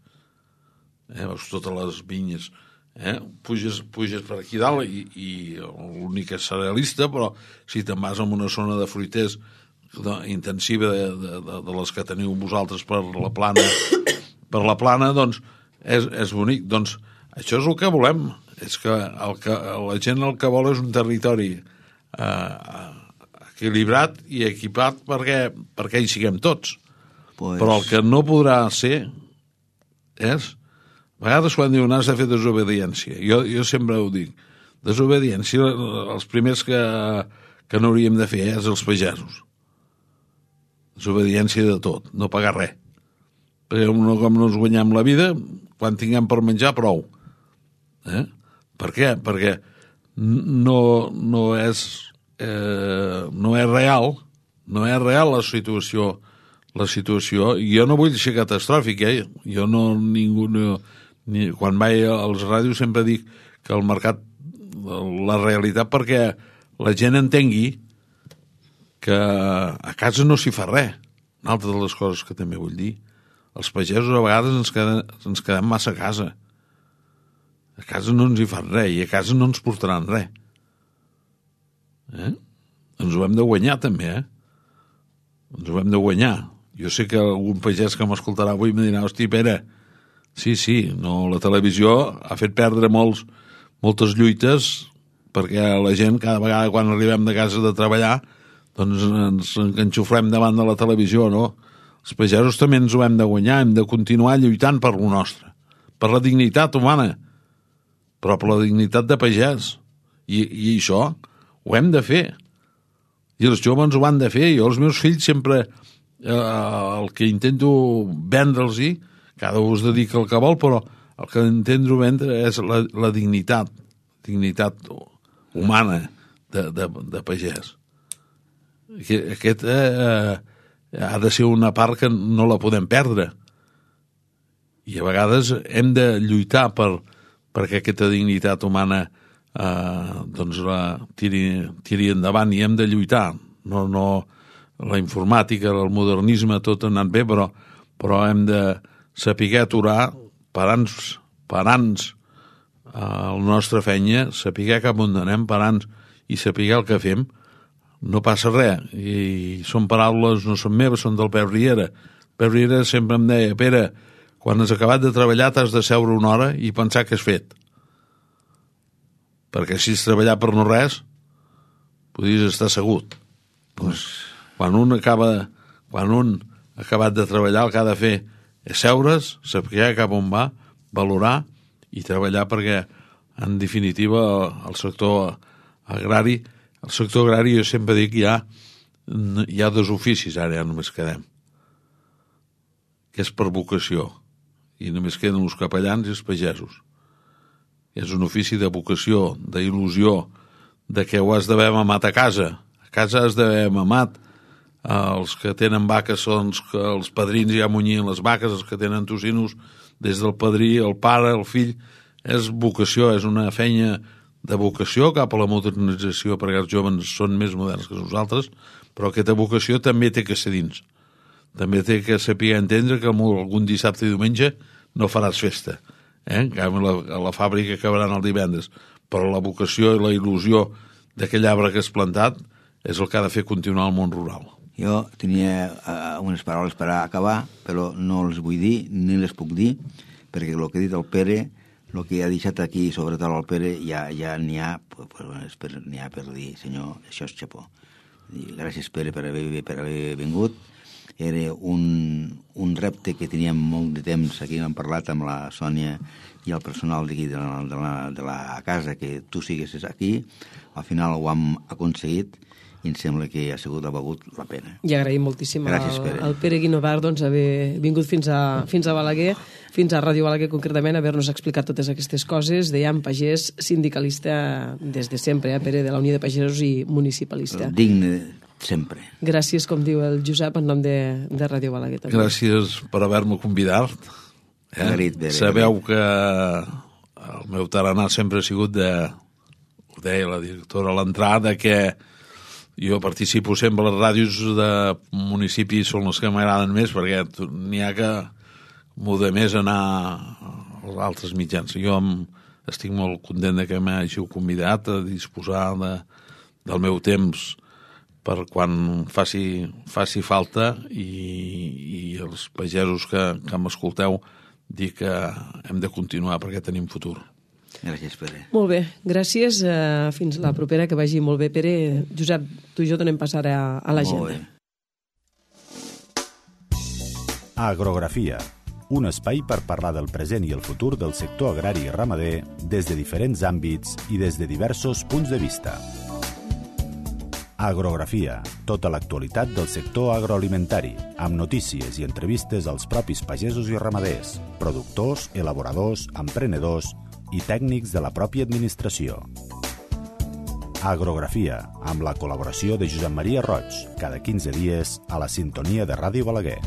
Speaker 4: Eh? Veus totes les vinyes. Eh? Puges, puges per aquí dalt i, i l'únic és cerealista, però si te'n vas a una zona de fruiters intensiva de, de, de les que teniu vosaltres per la plana, per la plana, doncs és, és bonic. Doncs això és el que volem. És que, el que la gent el que vol és un territori eh, equilibrat i equipat perquè, perquè hi siguem tots. Pues... Però el que no podrà ser és... A vegades quan diuen has de fer desobediència. Jo, jo sempre ho dic. Desobediència, els primers que, que no hauríem de fer és els pagesos. Desobediència de tot, no pagar res. Perquè no, com no ens guanyem la vida, quan tinguem per menjar, prou. Eh? Per què? Perquè no, no, és, eh, no és real, no és real la situació, la situació. Jo no vull ser catastròfic, eh? Jo no, ningú... No, ni, quan vaig als ràdios sempre dic que el mercat, la realitat, perquè la gent entengui que a casa no s'hi fa res. Una altra de les coses que també vull dir, els pagesos a vegades ens quedem, ens quedem massa a casa. A casa no ens hi fan res i a casa no ens portaran res. Eh? Ens ho hem de guanyar també, eh? Ens ho hem de guanyar. Jo sé que algun pagès que m'escoltarà avui em dirà, hosti, Pere, sí, sí, no, la televisió ha fet perdre molts, moltes lluites perquè la gent cada vegada quan arribem de casa de treballar doncs ens enxuflem davant de la televisió, no? Els pagesos també ens ho hem de guanyar, hem de continuar lluitant per lo nostre, per la dignitat humana, però per la dignitat de pagès. I, i això ho hem de fer. I els joves ho han de fer. Jo els meus fills sempre, eh, el que intento vendre'ls-hi, cada un es dedica al que vol, però el que intento vendre és la, la dignitat, dignitat humana de, de, de pagès. Aquest eh, ha de ser una part que no la podem perdre. I a vegades hem de lluitar per, perquè aquesta dignitat humana eh, doncs la tiri, tiri endavant i hem de lluitar. No, no, la informàtica, el modernisme, tot ha anat bé, però, però hem de saber aturar, parant-nos, parant-nos a la nostra feina, saber cap on anem, parant-nos i saber el que fem, no passa res. I són paraules, no són meves, són del Pep Riera. Pep Riera sempre em deia, Pere, quan has acabat de treballar t'has de seure una hora i pensar què has fet. Perquè si has treballat per no res, podries estar assegut. Pues, quan un acaba, quan un ha acabat de treballar, el que ha de fer és seure's, saber cap on va, valorar i treballar perquè, en definitiva, el sector agrari, el sector agrari jo sempre dic hi ha, hi ha dos oficis, ara ja només quedem, que és per vocació, i només queden els capellans i els pagesos. És un ofici de vocació, d'il·lusió, de que ho has d'haver mamat a casa. A casa has d'haver mamat. Els que tenen vaques són els, els padrins ja munyien les vaques, els que tenen tocinos des del padrí, el pare, el fill. És vocació, és una feina de vocació cap a la modernització, perquè els joves són més moderns que nosaltres, però aquesta vocació també té que ser dins. També té que saber entendre que algun dissabte i diumenge no faràs festa. Eh? En canvi, la, a la fàbrica acabaran el divendres. Però la vocació i la il·lusió d'aquell arbre que has plantat és el que ha de fer continuar el món rural.
Speaker 3: Jo tenia uh, unes paraules per acabar, però no les vull dir, ni les puc dir, perquè el que ha dit el Pere, el que ha deixat aquí sobre tot el Pere, ja, ja n'hi ha, n'hi ha per dir, senyor, això és xapó. Gràcies, Pere, per haver, per haver vingut. Era un, un repte que teníem molt de temps, aquí hem parlat amb la Sònia i el personal d'aquí de, la, de, la, de la casa, que tu siguessis aquí. Al final ho hem aconseguit i em sembla que ha sigut, ha valgut la pena.
Speaker 2: I agraïm moltíssim
Speaker 3: Gràcies,
Speaker 2: al,
Speaker 3: Pere.
Speaker 2: al Pere Guinovar doncs, haver vingut fins a, fins a Balaguer, fins a Ràdio Balaguer concretament, haver-nos explicat totes aquestes coses. Dèiem pagès, sindicalista des de sempre, eh, Pere, de la Unió de Pagesos i municipalista.
Speaker 3: Digne sempre.
Speaker 2: Gràcies, com diu el Josep, en nom de, de Ràdio Balaguer. També.
Speaker 4: Gràcies per haver-me convidat. Eh?
Speaker 3: Garit, Pere,
Speaker 4: Sabeu que el meu tarannà sempre ha sigut de, ho deia la directora a l'entrada, que jo participo sempre a les ràdios de municipis, són les que m'agraden més, perquè n'hi ha que m'ho de més anar als altres mitjans. Jo em, estic molt content de que m'hàgiu convidat a disposar de, del meu temps per quan faci, faci falta, i, i els pagesos que, que m'escolteu dir que hem de continuar perquè tenim futur.
Speaker 3: Gràcies, Pere.
Speaker 2: Molt bé, gràcies. Uh, fins la propera, que vagi molt bé, Pere. Josep, tu i jo donem passar a, a l'agenda.
Speaker 1: Agrografia, un espai per parlar del present i el futur del sector agrari i ramader des de diferents àmbits i des de diversos punts de vista. Agrografia, tota l'actualitat del sector agroalimentari, amb notícies i entrevistes als propis pagesos i ramaders, productors, elaboradors, emprenedors i tècnics de la pròpia administració. Agrografia, amb la col·laboració de Josep Maria Roig, cada quinze dies a la sintonia de Ràdio Balaguer.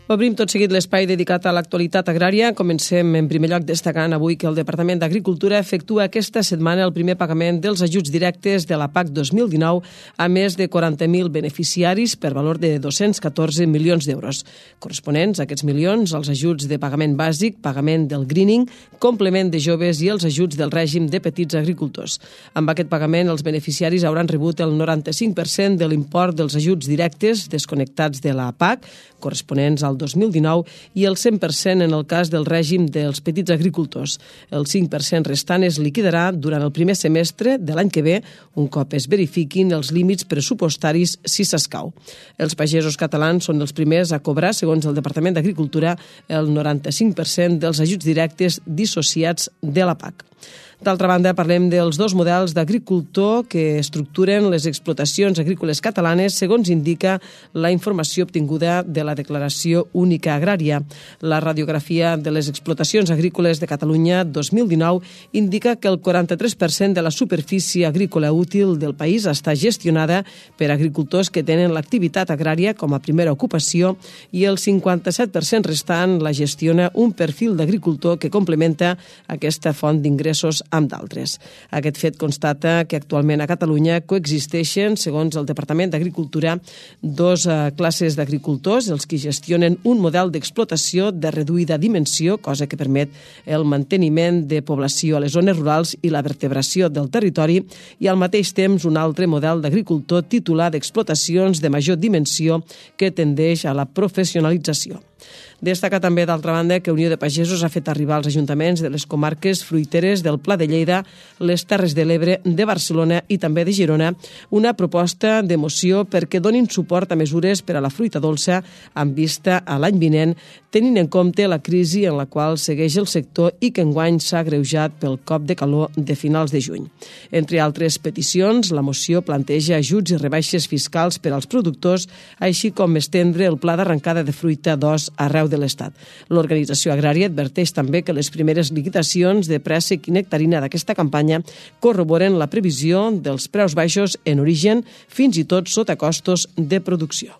Speaker 2: Obrim tot seguit l'espai dedicat a l'actualitat agrària. Comencem en primer lloc destacant avui que el Departament d'Agricultura efectua aquesta setmana el primer pagament dels ajuts directes de la P A C dos mil dinou a més de quaranta mil beneficiaris per valor de dos-cents catorze milions d'euros, corresponents a aquests milions als ajuts de pagament bàsic, pagament del greening, complement de joves i els ajuts del règim de petits agricultors. Amb aquest pagament, els beneficiaris hauran rebut el noranta-cinc per cent de l'import dels ajuts directes desconnectats de la P A C, corresponents al dos mil dinou, i el cent per cent en el cas del règim dels petits agricultors. El cinc per cent restant es liquidarà durant el primer semestre de l'any que ve, un cop es verifiquin els límits pressupostaris si s'escau. Els pagesos catalans són els primers a cobrar, segons el Departament d'Agricultura, el noranta-cinc per cent dels ajuts directes dissociats de la P A C. D'altra banda, parlem dels dos models d'agricultor que estructuren les explotacions agrícoles catalanes segons indica la informació obtinguda de la Declaració Única Agrària. La radiografia de les explotacions agrícoles de Catalunya dos mil dinou indica que el quaranta-tres per cent de la superfície agrícola útil del país està gestionada per agricultors que tenen l'activitat agrària com a primera ocupació i el cinquanta-set per cent restant la gestiona un perfil d'agricultor que complementa aquesta font d'ingressos amb d'altres. Aquest fet constata que actualment a Catalunya coexisteixen, segons el Departament d'Agricultura, dos uh, classes d'agricultors, els que gestionen un model d'explotació de reduïda dimensió, cosa que permet el manteniment de població a les zones rurals i la vertebració del territori, i al mateix temps un altre model d'agricultor titular d'explotacions de major dimensió que tendeix a la professionalització. Destaca també, d'altra banda, que Unió de Pagesos ha fet arribar als ajuntaments de les comarques fruiteres del Pla de Lleida, les Terres de l'Ebre, de Barcelona i també de Girona una proposta de moció perquè donin suport a mesures per a la fruita dolça amb vista a l'any vinent, tenint en compte la crisi en la qual segueix el sector i que enguany s'ha agreujat pel cop de calor de finals de juny. Entre altres peticions, la moció planteja ajuts i rebaixes fiscals per als productors, així com estendre el pla d'arrencada de fruita d'os arreu de l'Estat. L'organització agrària adverteix també que les primeres liquidacions de préssec i nectarina d'aquesta campanya corroboren la previsió dels preus baixos en origen, fins i tot sota costos de producció.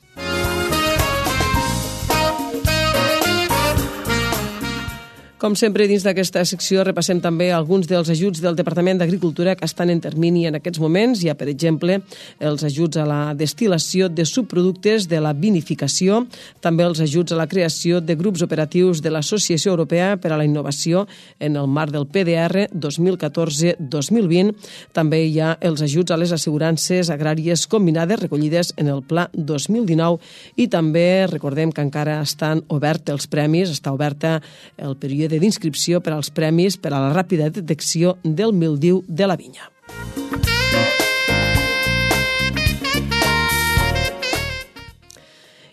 Speaker 2: Com sempre, dins d'aquesta secció repassem també alguns dels ajuts del Departament d'Agricultura que estan en termini en aquests moments. Hi ha, per exemple, els ajuts a la destil·lació de subproductes de la vinificació, també els ajuts a la creació de grups operatius de l'Associació Europea per a la Innovació en el marc del P D R dos mil catorze dos mil vint. També hi ha els ajuts a les assegurances agràries combinades recollides en el Pla dos mil dinou i també recordem que encara estan oberts els premis, està oberta el període d'inscripció per als premis per a la ràpida detecció del míldiu de la vinya.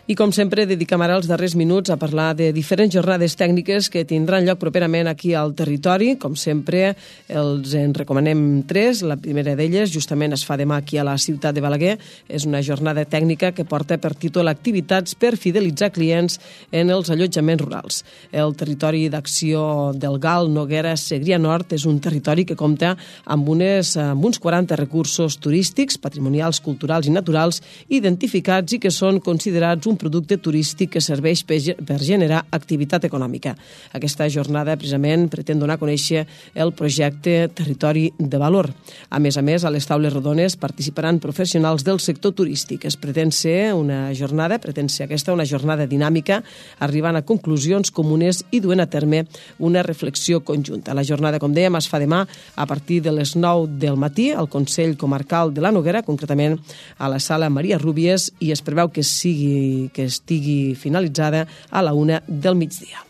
Speaker 2: I, com sempre, dediquem ara els darrers minuts a parlar de diferents jornades tècniques que tindran lloc properament aquí al territori. Com sempre, els en recomanem tres. La primera d'elles, justament, es fa demà aquí a la ciutat de Balaguer. És una jornada tècnica que porta per títol activitats per fidelitzar clients en els allotjaments rurals. El territori d'acció del Gal, Noguera, Segrià Nord, és un territori que compta amb, unes, amb uns quaranta recursos turístics, patrimonials, culturals i naturals identificats i que són considerats un un producte turístic que serveix per generar activitat econòmica. Aquesta jornada, precisament, pretén donar a conèixer el projecte Territori de Valor. A més a més, a les taules rodones participaran professionals del sector turístic. Es pretén ser una jornada, pretén ser aquesta una jornada dinàmica, arribant a conclusions comunes i duent a terme una reflexió conjunta. La jornada, com dèiem, es fa demà a partir de les nou del matí al Consell Comarcal de la Noguera, concretament a la sala Maria Rúbies, i es preveu que sigui que estigui finalitzada a la una del migdia.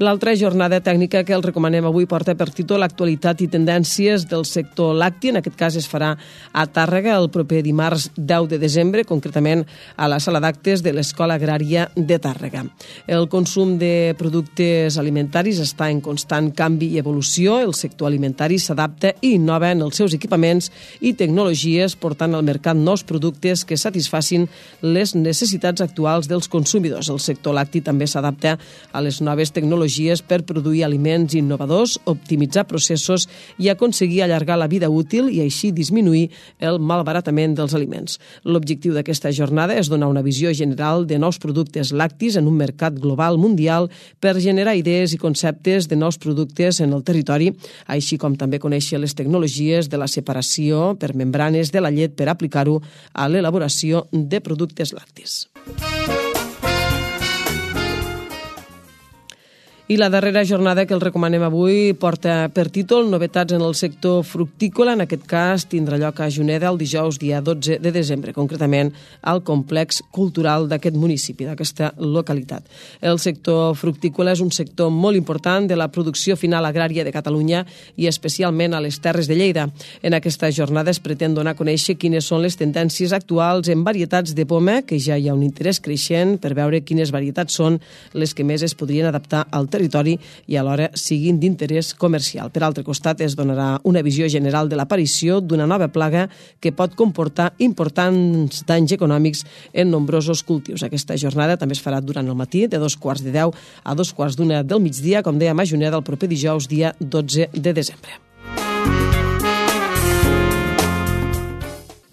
Speaker 2: L'altra jornada tècnica que els recomanem avui porta per títol Actualitat i tendències del sector lacti. En aquest cas es farà a Tàrrega el proper dimarts deu de desembre, concretament a la sala d'actes de l'Escola Agrària de Tàrrega. El consum de productes alimentaris està en constant canvi i evolució. El sector alimentari s'adapta i innova en els seus equipaments i tecnologies, portant al mercat nous productes que satisfacin les necessitats actuals dels consumidors. El sector lacti també s'adapta a les noves tecnologies per produir aliments innovadors, optimitzar processos i aconseguir allargar la vida útil i així disminuir el malbaratament dels aliments. L'objectiu d'aquesta jornada és donar una visió general de nous productes lactis en un mercat global mundial per generar idees i conceptes de nous productes en el territori, així com també conèixer les tecnologies de la separació per membranes de la llet per aplicar-ho a l'elaboració de productes lactis. I la darrera jornada que el recomanem avui porta per títol Novetats en el sector fructícola. En aquest cas tindrà lloc a Juneda el dijous dia dotze de desembre, concretament al complex cultural d'aquest municipi, d'aquesta localitat. El sector fructícola és un sector molt important de la producció final agrària de Catalunya i especialment a les Terres de Lleida. En aquesta jornada es pretén donar a conèixer quines són les tendències actuals en varietats de poma, que ja hi ha un interès creixent per veure quines varietats són les que més es podrien adaptar al territori territori i alhora siguin d'interès comercial. Per altre costat, es donarà una visió general de l'aparició d'una nova plaga que pot comportar importants danys econòmics en nombrosos cultius. Aquesta jornada també es farà durant el matí, de dos quarts de deu a dos quarts d'una del migdia, com dèiem, a Juneda, el proper dijous, dia dotze de desembre.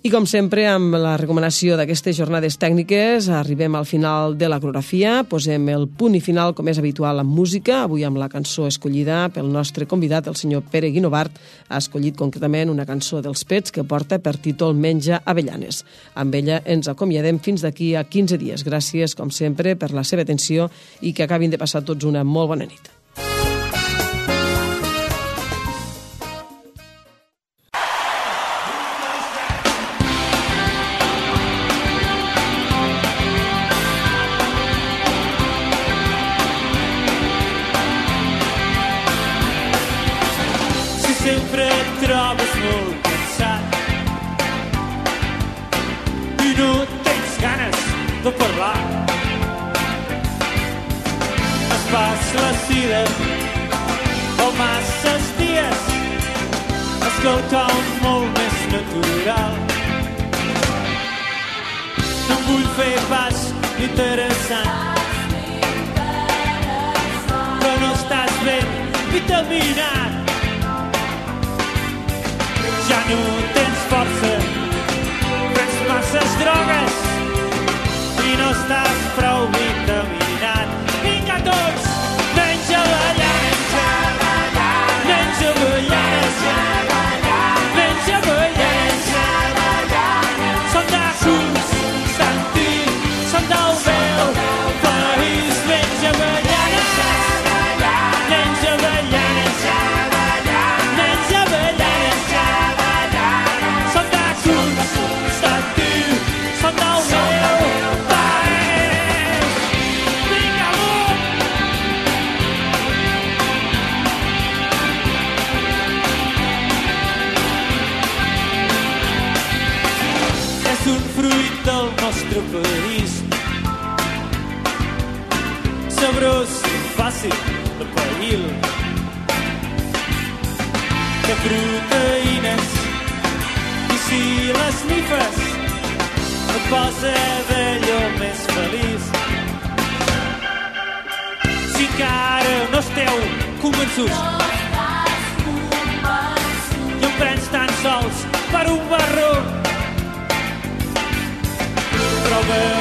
Speaker 2: I com sempre, amb la recomanació d'aquestes jornades tècniques, arribem al final de l'agrografia, posem el punt i final, com és habitual, amb música, avui amb la cançó escollida pel nostre convidat, el senyor Pere Guinovart. Ha escollit concretament una cançó dels Pets que porta per títol Menja avellanes. Amb ella ens acomiadem fins d'aquí a quinze dies. Gràcies, com sempre, per la seva atenció i que acabin de passar tots una molt bona nit.
Speaker 6: Sempre et trobes molt cansat i no tens ganes de parlar. Es pas la sida o masses dies, és quelcom molt més natural. No em vull fer pas interessant, però no estàs ben vitaminat. Ja no tens força, prens masses drogues i no estàs prou vitaminat. Vinga tots, menja avellanes, menja avellanes, menja avellanes. Són de Constantí, són del meu país. Menja avellanes, menja avellanes, menja avellanes. Del nostre país, sabrós i fàcil de païl, de proteïnes, i si les nifes et posa d'allò més feliç. Si encara no esteu convençuts i em prens tan sols per un barró, over